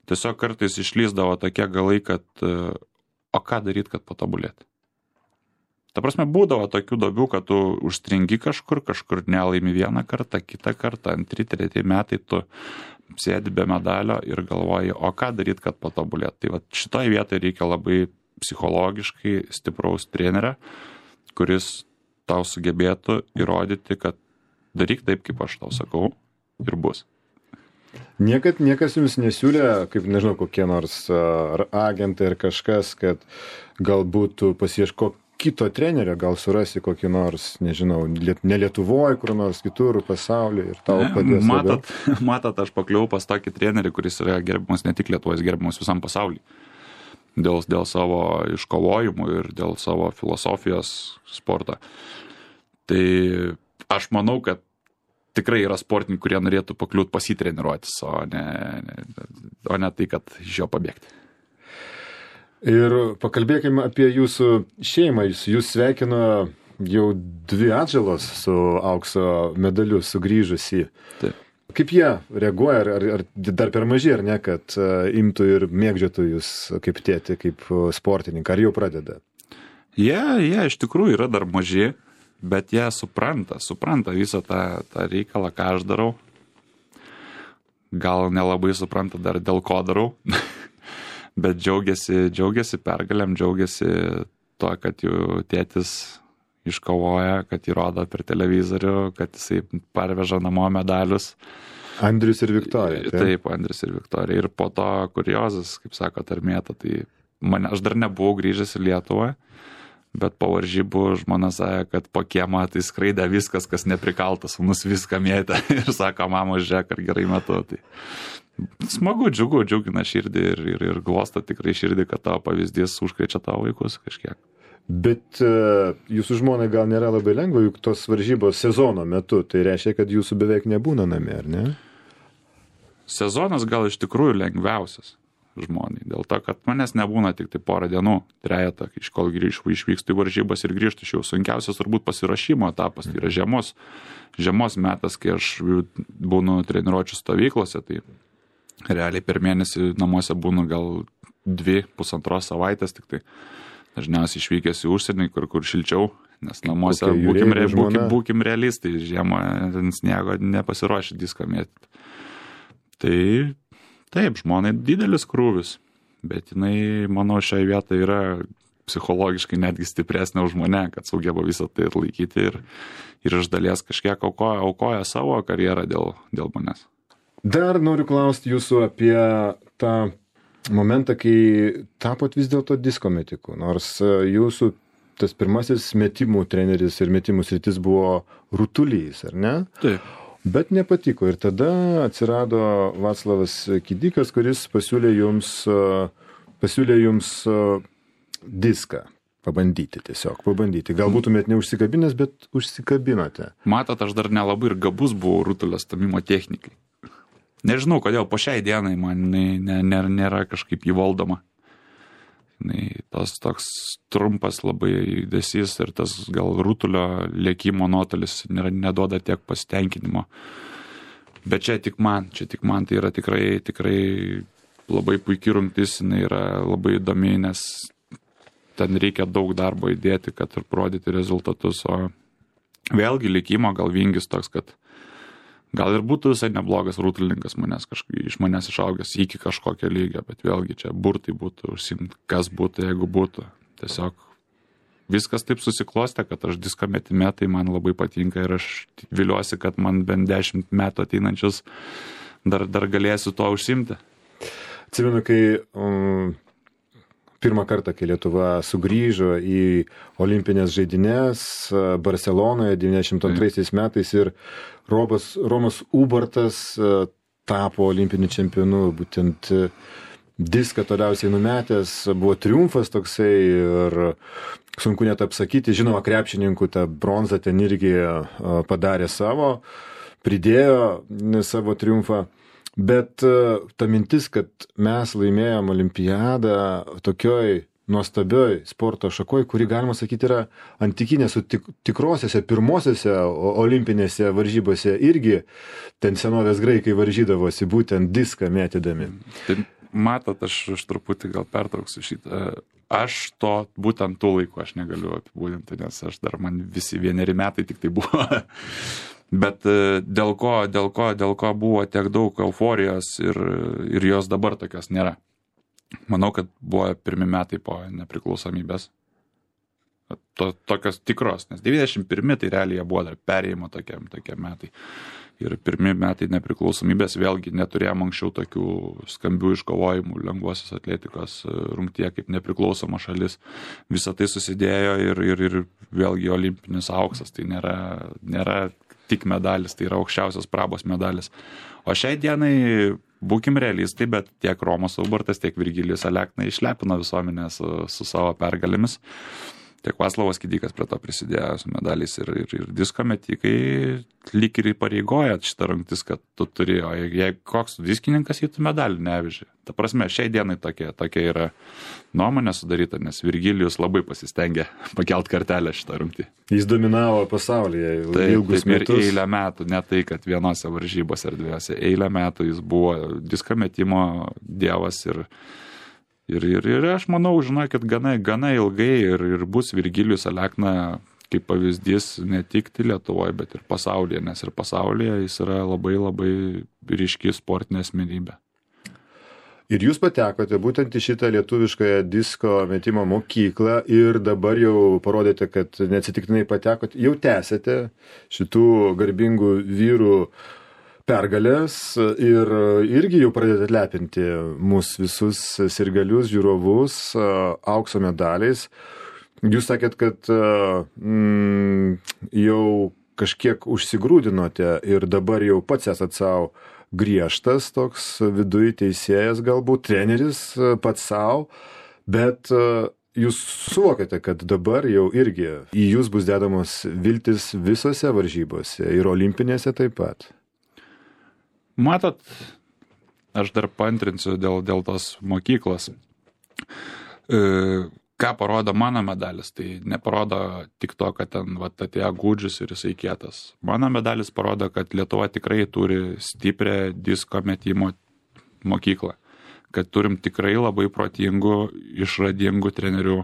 Tiesiog kartais išlįsdavo tokie galai, kad o ką daryti, kad patobulėti. Ta prasme, būdavo tokių duobių, kad tu užstringi kažkur, kažkur nelaimi vieną kartą, kitą kartą, antri, treti metai tu sėdi be medalio ir galvoji, o ką daryti, kad patobulėt. Tai va šitoje vietoje reikia labai psichologiškai stipraus trenerio, kuris tau sugebėtų įrodyti, kad daryk taip, kaip aš tau sakau, ir bus. Niekad niekas jums nesiūlė, kaip nežinau, kokie nors ar agentai ar kažkas, kad galbūt pasiieško kito trenerio, gal surasi kokį nors, nežinau, ne Lietuvoje, kur nors kitur pasaulyje ir tau padės. Matot, matot, aš pakliuvau pas tokį trenerį, kuris yra gerbiamas ne tik Lietuvoje, gerbiamas visam pasaulyje. Dėl, dėl savo iškovojimų ir dėl savo filosofijos sporto. Tai aš manau, kad tikrai yra sportininkai, kurie norėtų pakliūti pasitreniruotis, o ne, ne, o ne tai, kad iš jo pabėgti. Ir pakalbėkime apie jūsų šeimą. Jūs, jūs sveikino jau dvi atžalos su aukso medaliu sugrįžusi. Taip. Kaip jie reaguoja, ar, ar, ar dar per maži, ar ne, kad uh, imtų ir mėgdžiotų jūs kaip tėtį, kaip sportininką, ar jau pradeda? Jie, jie iš tikrųjų yra dar maži, bet jie supranta, supranta visą tą, tą reikalą, ką aš darau. Gal nelabai supranta dar dėl ko darau, bet džiaugiasi, džiaugiasi pergalėm, džiaugiasi to, kad jų tėtis iškovoja, kad įrodo per televizorių, kad jisai parveža namo medalius. Andrius ir Viktorija. Taip, taip Andrius ir Viktorija. Ir po to kuriozas, kaip sako, tarmėta, tai mane, aš dar nebuvau grįžęs į Lietuvą, bet po varžybų žmona sakė, kad po kiemą tai skraidė viskas, kas neprikaltas, sūnus viską mėtė ir sako, mama, žiūrėk, ar gerai metu. Tai smagu, džiugu, džiugina širdį ir, ir, ir glosto tikrai širdį, kad tavo pavyzdys užkrečia tavo vaikus kažkiek. Bet uh, jūsų žmonai gal nėra labai lengva, juk tos varžybos sezono metu, tai reiškia, kad jūsų beveik nebūna namie, ar ne? Sezonas gal iš tikrųjų lengviausias žmonai, dėl to, kad manęs nebūna tik tai porą dienų, trejetą, iš kol grįžtu, išvykstu į varžybas ir grįžtu, iš jau sunkiausias turbūt pasiruošimo etapas, tai yra žiemos, žiemos metas, kai aš būnu treniruočių stovyklose, tai realiai per mėnesį namuose būnu gal dvi, pusantros savaitės tik tai. Dažniausiai išvykęs į užsienį, kur, kur šilčiau, nes namuose okay, būkim, re, būkim, būkim realistai, žiemą ant sniego nepasiruošę disko mėtyti. Tai taip, žmonai didelis krūvis, bet jinai, manau, šioje vietoje yra psichologiškai netgi stipresnė už mane, kad sugeba visą tai atlaikyti ir, ir iš dalies kažkiek aukoja, aukoja savo karjerą dėl, dėl manęs. Dar noriu klausti jūsų apie tą momentą, kai tapot vis dėlto disko metiku, nors jūsų tas pirmasis metimų treneris ir metimų sritis buvo Rutulys, ar ne? Taip. Bet nepatiko ir tada atsirado Vaclavas Kidikas, kuris pasiūlė jums, pasiūlė jums diską pabandyti tiesiog, pabandyti. Gal būtumėt neužsikabinęs, bet užsikabinote. Matot, aš dar nelabai ir gabus buvau rutulio stamimo technikai. Nežinau, kodėl po šiai dienai man nėra, nėra kažkaip įvaldoma. Tas toks trumpas labai judesys ir tas gal rutulio lėkimo nuotolis neduoda tiek pasitenkinimo. Bet čia tik man, čia tik man tai yra tikrai, tikrai labai puikiai rungtis, jinai yra labai įdomi, nes ten reikia daug darbo įdėti, kad ir parodyti rezultatus. O vėlgi lėkimo gal vingis toks, kad gal ir būtų visai neblogas rutulininkas manęs, kažkaip, iš manęs išaugęs iki kažkokio lygio, bet vėlgi čia burtai būtų užsimti, kas būtų, jeigu būtų. Tiesiog viskas taip susiklostė, kad aš disko metime, tai man labai patinka ir aš viliuosi, kad man bent dešimt metų ateinančius dar, dar galėsiu to užsimti. Atsimenu, kai um, pirmą kartą, kai Lietuva sugrįžo į olimpinės žaidynės Barcelonoje devyniasdešimt antraisiais metais ir Robas, Romas Ubartas tapo olimpiniu čempionu, būtent diską toliausiai numetęs, buvo triumfas toksai ir sunku net apsakyti, žinoma, krepšininkų tą bronzą ten irgi padarė savo, pridėjo savo triumfą. Bet ta mintis, kad mes laimėjom olimpiadą tokioj nuostabioj sporto šakoj, kuri, galima sakyti, yra antikinė su tik, tikrosiose pirmosiose olimpinėse varžybose irgi ten senovės graikai varžydavosi būtent diską mėtydami. Tai matot, aš, aš truputį gal pertrauksiu šitą. aš to būtent tų laikų aš negaliu apibūdinti, nes aš dar man visi vieneri metai tik tai buvo. Bet dėl ko, dėl ko, dėl ko buvo tiek daug euforijos ir, ir jos dabar tokios nėra. Manau, kad buvo pirmi metai po nepriklausomybės. To, tokios tikros, nes devyniasdešimt pirmi tai realiai buvo dar perėjimo tokie, tokie metai. Ir pirmi metai nepriklausomybės vėlgi neturėjom anksčiau tokių skambių iškovojimų lengvosios atletikos rungtyje kaip nepriklausoma šalis. Visą tai susidėjo ir, ir, ir vėlgi olimpinis auksas. Tai nėra, nėra tik medalis, tai yra aukščiausias prabos medalis. O šiai dienai būkim realistai, bet tiek Romas Ubartas, tiek Virgilijus Alekna išlepino visuomenę su, su savo pergalėmis. Tiek Vaclavas Kidikas prie to prisidėjo su medaliais ir, ir, ir disko metikai lyg ir įpareigoja šitą rungtis, kad tu turi, o jei koks diskininkas jį tu medalį neveži. Ta prasme, šiai dienai tokia, tokia yra nuomonė sudaryta, nes Virgilijus labai pasistengė pakelt kartelę šitą rungtį. Jis dominavo pasaulyje taip, ilgus taip, metus. Ir eilę metų, ne tai, kad vienose varžybose ar dviejose, eilę metų jis buvo disko metimo dievas ir Ir, ir, ir aš manau, žinokit, gana, gana ilgai ir, ir bus Virgilijus Alekna kaip pavyzdys ne tik Lietuvoje, bet ir pasaulyje, nes ir pasaulyje jis yra labai labai ryški sportinė asmenybė. Ir jūs patekote būtent į šitą lietuviškąją disko metimo mokyklą ir dabar jau parodėte, kad neatsitiktinai patekote, jau tęsėte šitų garbingų vyrų pergalės ir irgi jau pradėte lepinti mūsų visus sirgalius, žiūrovus aukso medaliais. Jūs sakėt, kad mm, jau kažkiek užsigrūdinote ir dabar jau pats esat savo griežtas, toks viduj teisėjas, galbūt treneris pats savo, bet jūs suvokėte, kad dabar jau irgi į jūs bus dedamos viltis visose varžybose ir olimpinėse taip pat. Matot, aš dar paantrinsiu dėl, dėl tos mokyklos. E, ką parodo mano medalis, tai neparodo tik to, kad ten vat, atėjo Gudžius ir jisai kietas. Mano medalis parodo, kad Lietuva tikrai turi stiprią disko metimo mokyklą. Kad turim tikrai labai protingų, išradingų trenerių,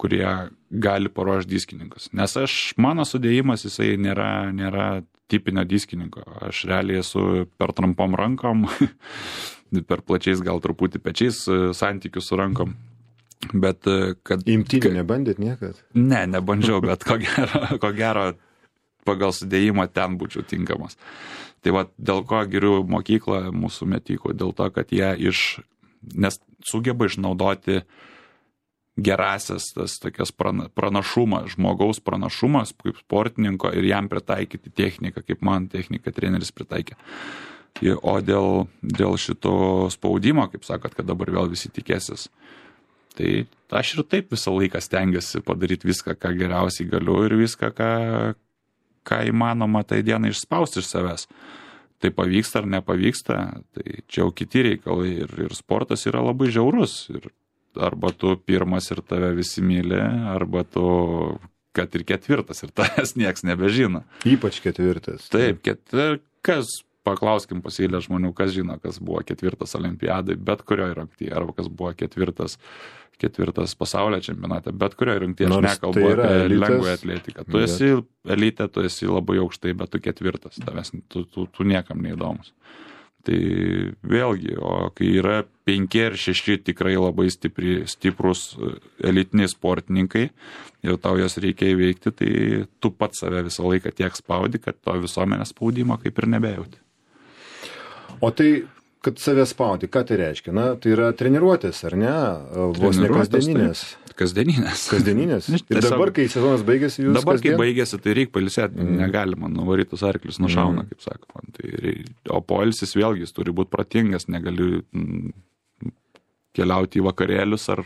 kurie gali paruošti diskininkus. Nes aš, mano sudėjimas, jisai nėra, nėra tipinio diskininko. Aš realiai esu per trumpom rankom, per plačiais gal truputį pečiais santykių su rankom. Bet kad... Imtynį nebandėt niekad? Ne, nebandžiau, bet ko gero, ko gero pagal sudėjimą ten būčiau tinkamas. Tai va, dėl ko geriu mokyklą mūsų metikų, dėl to, kad jie iš... Nes sugeba išnaudoti gerasias tas tokias pranašumas, žmogaus pranašumas kaip sportininko ir jam pritaikyti techniką, kaip man techniką treneris pritaikė. O dėl, dėl šito spaudimo, kaip sakot, kad dabar vėl visi tikėsis, tai aš ir taip visą laiką stengiuosi padaryti viską, ką geriausiai galiu ir viską, ką, ką įmanoma tai dieną išspausti iš savęs. Tai pavyksta ar nepavyksta, tai čia jau kiti reikalai ir, ir sportas yra labai žiaurus. Ir arba tu pirmas ir tave visi myli, arba tu, kad ir ketvirtas ir tavęs nieks nebežino. Ypač ketvirtas. Taip, ketvir, kas, paklauskim pasėlę žmonių, kas žino, kas buvo ketvirtas olimpiadai, bet kurioje rungtyje, arba kas buvo ketvirtas, ketvirtas pasaulio čempionate, bet kurioje rungtyje, aš nekalbu tai apie lengvąją atletiką. Tu esi elite, tu esi labai aukštai, bet tu ketvirtas, tavęs, tu, tu, tu niekam neįdomus. Tai vėlgi, o kai yra penki ar šeši tikrai labai stipri, stiprus elitiniai sportininkai ir tau jos reikia įveikti, tai tu pats save visą laiką tiek spaudi, kad to visuomenės spaudimo kaip ir nebejauti. O tai, kad save spaudi, ką tai reiškia? Na, tai yra treniruotės, ar ne? Vos ne kasdieninės. Kasdieninės. Kasdieninės. Ir tiesiog, dabar, kai sezonas baigėsi, jūs dabar, kasdien? Kai baigėsi, tai reikia pailsėti, mm. negalima, nuvarytus arklius nušauna, mm. kaip sakoma. Tai reik, o poilsis vėlgi, jis turi būti protingas, negali mm, keliauti į vakarėlius ar,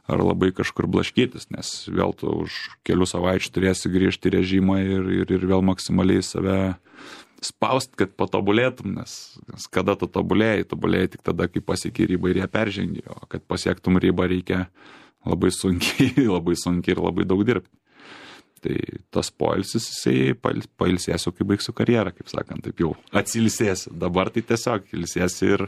ar labai kažkur blaškytis, nes vėl tu už kelių savaičių turėsi grįžti į režimą ir, ir, ir vėl maksimaliai save spaust, kad patobulėtum, nes, nes kada tu tobulėjai, tobulėjai tik tada, kai pasieki ribą ir ją peržengi, o kad pasiektum ribą reikia labai sunkiai, labai sunkiai ir labai daug dirbti. Tai tas poilsis, jisai pailsėsiu, kai baigsiu karjerą, kaip sakant, taip jau atsilsėsiu. Dabar tai tiesiog ilsėsiu ir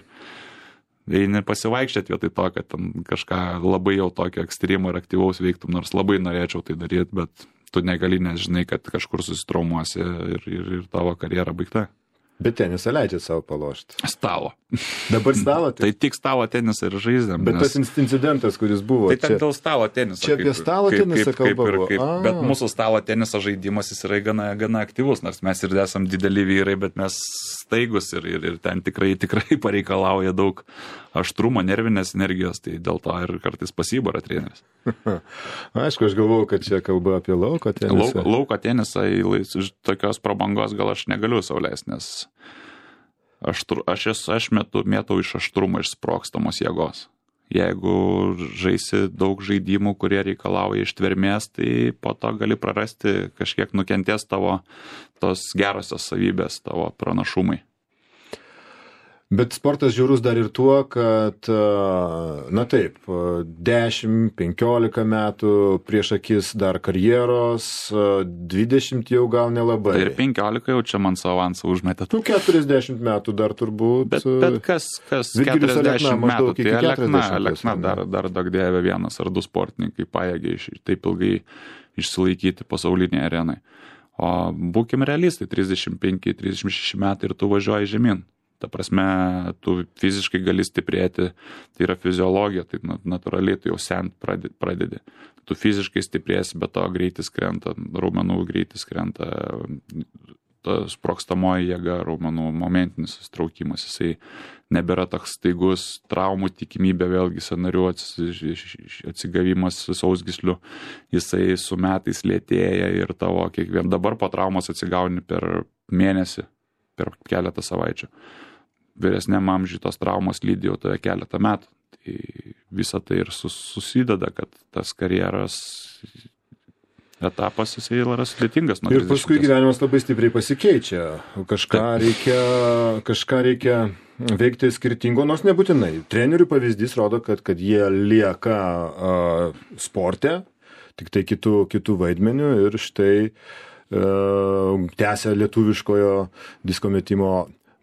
eini pasivaikščioti vietoj to, kad ten kažką labai jau tokio ekstremo ir aktyvaus veiktum, nors labai norėčiau tai daryti, bet tu negali, nes žinai, kad kažkur susitraumuosi ir, ir, ir tavo karjera baigta. Bet tenisą leidžiat savo palošti. Stalo. Dabar stalo? Tai tik stalo tenisą ir žaidžiam. Bet nes... tas incidentas, kuris buvo. Tai ten dėl stalo teniso. Čia apie stalo kaip, tenisą kaip, kaip, kalba. Kaip, kaip, bet mūsų stalo teniso žaidimas jis yra gana, gana aktyvus, nors mes ir esam dideli vyrai, bet mes staigus ir, ir, ir ten tikrai, tikrai pareikalauja daug aštrumo, nervinės energijos, tai dėl to ir kartais pasibara treneris. Aišku, aš galvoju, kad čia kalba apie lauko tenisą. Lauko, lauko tenisą iš tokios prabangos gal aš negaliu sau leisti, nes aštru, aš, esu, aš metu, mėtau iš aštrumo išsprogstamos jėgos. Jeigu žaisi daug žaidimų, kurie reikalauja ištvermės, tai po to gali prarasti, kažkiek nukentės tavo tos gerosios savybės, tavo pranašumai. Bet sportas žiaurus dar ir tuo, kad, na taip, dešimt penkiolika metų prieš akis dar karjeros, dvidešimt jau gal nelabai. Tai ir penkiolika jau čia man savo avansą užmetė. Tu keturiasdešimt metų dar turbūt. Bet, bet kas, kas keturiasdešimt metų, tai Alekna, Alekna dar, dar daug dėvė vienas ar du sportininkai pajėgiai taip ilgai išsilaikyti pasaulinėje arenai. O būkim realistai, trisdešimt penki trisdešimt šeši metai ir tu važiuoji žemyn. Ta prasme, tu fiziškai gali stiprėti, tai yra fiziologija, tai natūraliai tu jau sent pradedi. Tu fiziškai stiprėsi, bet to greitis krenta, raumenų greitis krenta, ta sprogstamoji jėga, raumenų momentinis susitraukimas, jisai nebėra toks staigus, traumų tikimybė, vėlgi sąnarių atsigavimas sausgyslių, jisai su metais lėtėja ir tavo kiekvien dabar po traumos atsigauni per mėnesį, per keletą savaičių. Vyresniam amžiui tos traumos lydi jau tave keletą metų. Tai visa tai ir sus, susideda, kad tas karjeros etapas jisai yra sudėtingas. Ir paskui gyvenimas labai stipriai pasikeičia. Kažką reikia, kažką reikia veikti skirtingo, nors nebūtinai. Trenerių pavyzdys rodo, kad, kad jie lieka uh, sporte, tik tai kitų, kitų vaidmenių ir štai uh, tęsia lietuviškojo disko metimo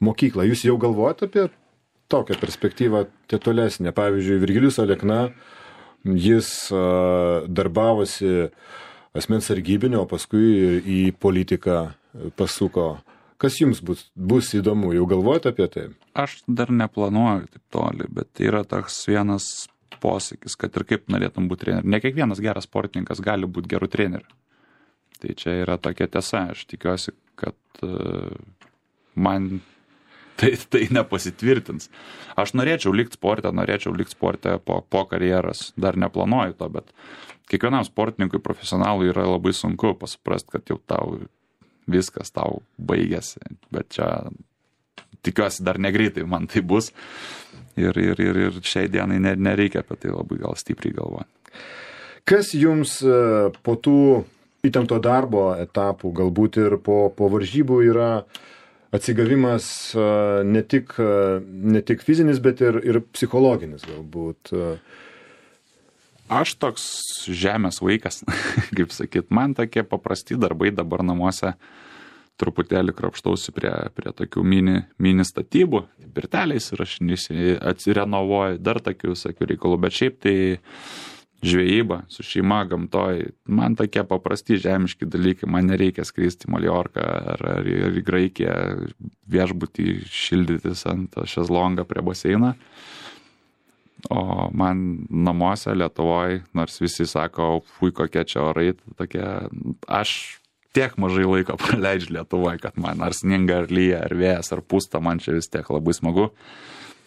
mokyklą. Jūs jau galvojate apie tokią perspektyvą tolesnę? Pavyzdžiui, Virgilijus Alekna, jis uh, darbavosi asmens sargybinio, o paskui į politiką pasuko. Kas jums bus, bus įdomu? Jau galvojate apie tai? Aš dar neplanuoju taip toli, bet yra toks vienas posakis, kad ir kaip norėtum būti treneriu. Ne kiekvienas geras sportininkas gali būti geru treneriu. Tai čia yra tokia tiesa. Aš tikiuosi, kad uh, man Tai, tai nepasitvirtins. Aš norėčiau likti sporte, norėčiau likti sporte po, po karjeros, dar neplanuoju to, bet kiekvienam sportininkui profesionalui yra labai sunku pasuprast, kad jau tau viskas tau baigėsi, bet čia tikiuosi dar negreitai man tai bus ir, ir, ir, ir šiai dienai nereikia apie tai labai gal stipriai galvoti. Kas jums po tų įtempto darbo etapų, galbūt ir po, po varžybų yra atsigavimas ne tik, ne tik fizinis, bet ir, ir psichologinis galbūt? Aš toks žemės vaikas, kaip sakyt. Man tokie paprasti darbai dabar namuose truputėlį krapštausi prie, prie tokių mini, mini statybų, pirteliais ir aš atsirenovuoju, dar tokių visokių reikalų, bet šiaip tai žvejyba su šeima gamtoj, man tokie paprasti žemiški dalykai, man nereikia skristi į Maljorką ar, ar, ar į Graikiją viešbutį šildytis ant šezlongą prie baseino. O man namuose Lietuvoje, nors visi sako, fui kokie čia orai, tokie, aš tiek mažai laiko praleidžiu Lietuvoje, kad man ar sninga, ar lyja, ar vėjas, ar pusta, man čia vis tiek labai smagu.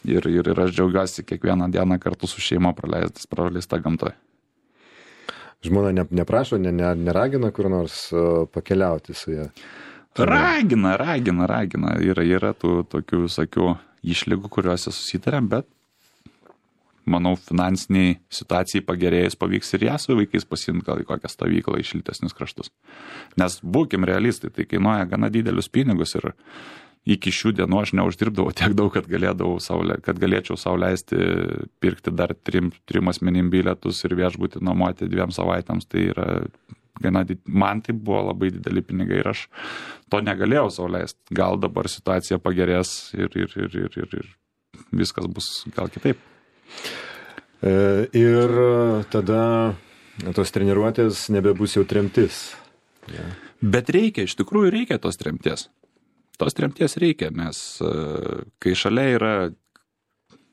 Ir, ir, ir aš džiaugiuosi kiekvieną dieną kartu su šeima praleistas, praleista gamtoje. Žmona ne, neprašo, ne, ne, neragina kur nors uh, pakeliauti su ją? Ragina, ragina, ragina. Yra, yra tų tokių visokių išlygų, kuriuose susitarėm, bet manau, finansiniai situacijai pagerėjus pavyks ir ją su vaikais pasiimti gal į kokią stovyklą į šiltesnius kraštus. Nes būkim realistai, tai kainuoja gana didelius pinigus ir iki šių dienų aš neuždirbdavau tiek daug, kad, saulė, kad galėčiau sau leisti pirkti dar trim, trim asmenim bilietus ir viešbutį nuomoti dviem savaitėms. Tai yra gana, man tai buvo labai dideli pinigai ir aš to negalėjau sau leisti. Gal dabar situacija pagerės ir, ir, ir, ir, ir, ir viskas bus gal kitaip. Ir tada tos treniruotės nebebus jau tremtis. Ja. Bet reikia, iš tikrųjų reikia tos tremties. Tos tremties reikia, nes kai šalia yra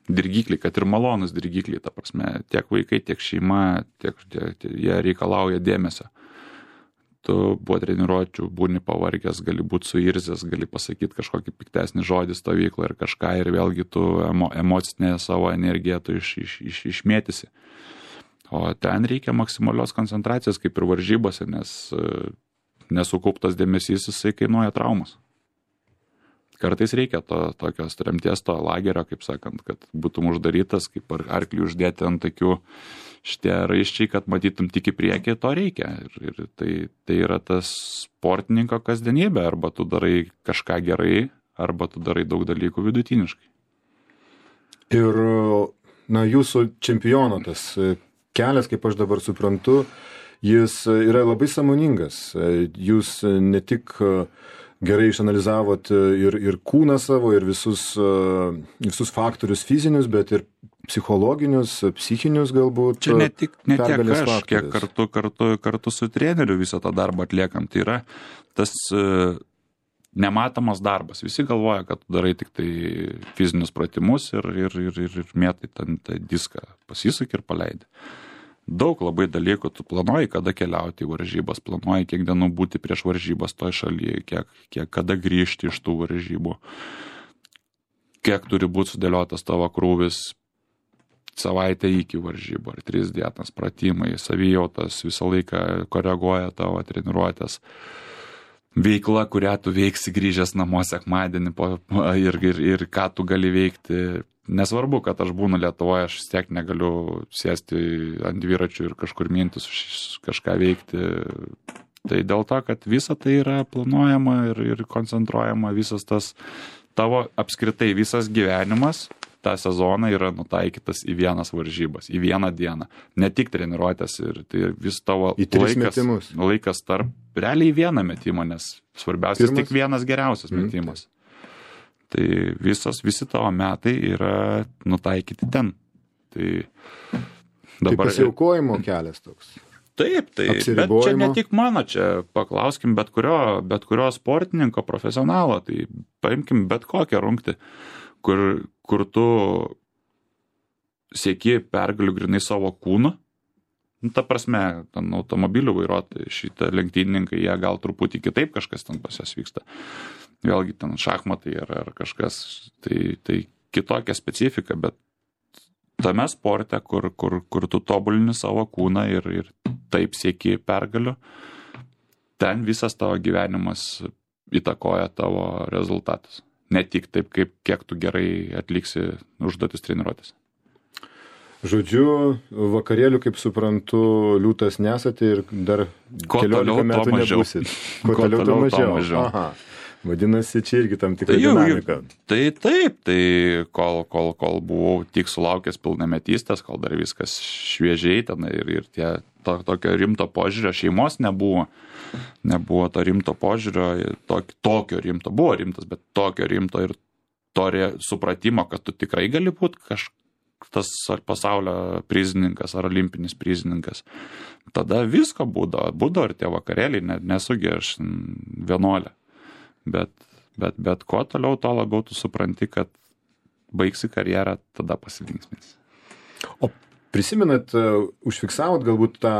dirgikliai, kad ir malonus dirgikliai, ta prasme, tiek vaikai, tiek šeima, tiek, tiek, tiek jie reikalauja dėmesio. Tu buvo treniruočių, būni pavargęs, gali būti suirzęs, gali pasakyti kažkokį piktesnį žodį stovyklą ir kažką, ir vėlgi tu emo, emocinę savo energiją tu iš, iš, iš, išmėtysi. O ten reikia maksimalios koncentracijos, kaip ir varžybose, nes nesukauptas dėmesys, jisai kainuoja traumas. Kartais reikia to, tokios tremties, to lagerio, kaip sakant, kad būtum uždarytas, kaip arklį uždėti ant tokių šitie raiščiai, kad matytum tik į priekį, to reikia. Ir, ir tai, tai yra tas sportininko kasdienybė, arba tu darai kažką gerai, arba tu darai daug dalykų vidutiniškai. Ir, na, jūsų čempiono tas kelias, kaip aš dabar suprantu, jis yra labai sąmoningas. Jūs ne tik gerai išanalizavot ir, ir kūną savo, ir visus, visus faktorius fizinius, bet ir psichologinius, psichinius galbūt. Čia ne tik, ne tiek aš, faktorius. Kiek kartu, kartu, kartu su treneriu visą tą darbą atliekam. Tai yra tas uh, nematomas darbas. Visi galvoja, kad tu darai tik tai fizinius pratimus ir, ir, ir, ir, ir mėtai ten tą diską, pasisuki ir paleidi. Daug labai dalykų, tu planuoji, kada keliauti į varžybas, planuoji, kiek dienų būti prieš varžybas toj šalyje, kiek, kiek kada grįžti iš tų varžybų, kiek turi būti sudėliotas tavo krūvis savaitę iki varžybų, ar tris dienas pratimai, savijautas visą laiką koreguoja tavo treniruotės. Veikla, kurią tu veiksi grįžęs namo sekmadienį po, ir, ir, ir ką tu gali veikti. Nesvarbu, kad aš būnu Lietuvoje, aš vis tiek negaliu sėsti ant dviračių ir kažkur mintis kažką veikti. Tai dėl to, kad visa tai yra planuojama ir, ir koncentruojama, visas tas tavo apskritai visas gyvenimas, tą sezoną yra nutaikytas į vienas varžybas, į vieną dieną. Ne tik treniruotės, ir tai vis tavo laikas, laikas tarp, realiai vieną metimą, nes svarbiausias Pirmas? Tik vienas geriausias mm, metimas. Tai. Tai visos, visi tavo metai yra nutaikyti ten. Tai dabar... Tai pasiaukojimo kelias toks. Taip, tai, bet čia ne tik mano, čia paklauskim bet kurio, bet kurio sportininko, profesionalo, tai paimkim bet kokią rungtį, kur, kur tu sieki pergalių grinai savo kūnu. Nu, ta prasme, ten automobilių vairuotojai, šitą lenktynininkai, jie gal truputį kitaip kažkas ten pas jas vyksta. Vėlgi ten šachmatai ar, ar kažkas, tai, tai kitokia specifika, bet tame sporte, kur, kur, kur tu tobulini savo kūną ir, ir taip sieki pergalių, ten visas tavo gyvenimas įtakoja tavo rezultatus. Ne tik taip, kaip, kiek tu gerai atliksi užduotis treniruotės. Žodžiu, vakarėlių, kaip suprantu, liūtas nesate ir dar keliolika metų nebusit. Ko toliau, to mažiau. mažiau. Aha. Vadinasi, čia irgi tam tikra tai dinamika. Tai taip, tai kol, kol, kol buvau tik sulaukęs pilnametystės, kol dar viskas šviežiai ten ir, ir tie, to, tokio rimto požiūrio, šeimos nebuvo, nebuvo to rimto požiūrio, to, tokio rimto, buvo rimtas, bet tokio rimto ir to supratimo, kad tu tikrai gali būti kažkas, tas ar pasaulio prizininkas, ar olimpinis prizininkas. Tada visko būdo, būdo ir tie vakarėliai, nesugi aš vienuolė. Bet, bet, bet kuo toliau, to labiau tu supranti, kad baigsi karjerą, tada pasilinksmės. O prisimenat, užfiksavot galbūt tą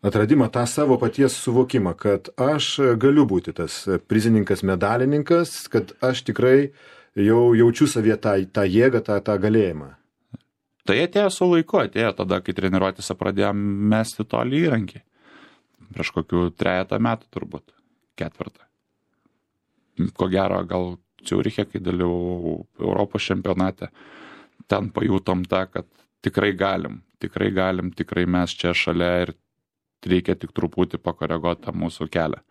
atradimą, tą savo paties suvokimą, kad aš galiu būti tas prizininkas, medalininkas, kad aš tikrai jau jaučiu savyje tą, tą jėgą, tą, tą galėjimą. Tai atėjo su laiku, atėjo tada, kai treniruotėse pradėjom mesti tolį įrankį. Prieš kokių trejetą metų turbūt, ketvirtą. Ko gero, gal Ciuriche, kai dalyvau Europos čempionate, ten pajutom tą, kad tikrai galim, tikrai galim, tikrai mes čia šalia ir reikia tik truputį pakoreguoti tą mūsų kelią.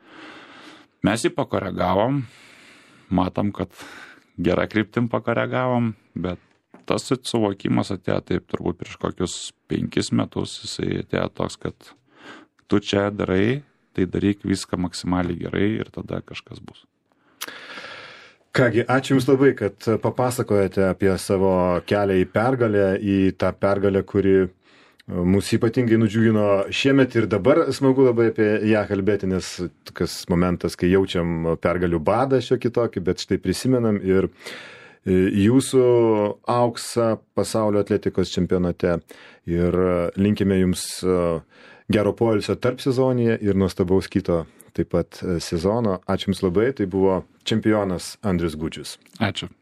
Mes jį pakoregavom, matom, kad gerą kryptim pakoregavom, bet tas suvokimas atėjo taip turbūt prieš kokius penkis metus, jisai atėjo toks, kad tu čia darai, tai daryk viską maksimaliai gerai ir tada kažkas bus. Kągi, ačiū Jums labai, kad papasakojate apie savo kelią į pergalę, į tą pergalę, kuri mūsų ypatingai nudžiugino šiemet ir dabar smagu labai apie ją kalbėti, nes toks momentas, kai jaučiam pergalių badą šio kitokį, bet štai prisimenam ir jūsų auksą pasaulio atletikos čempionate ir linkime Jums gero poilsio tarp sezonyje ir nuostabaus kito taip pat sezono. Ačiū Jums labai, tai buvo čempionas Andrius Gudžius. Ačiū.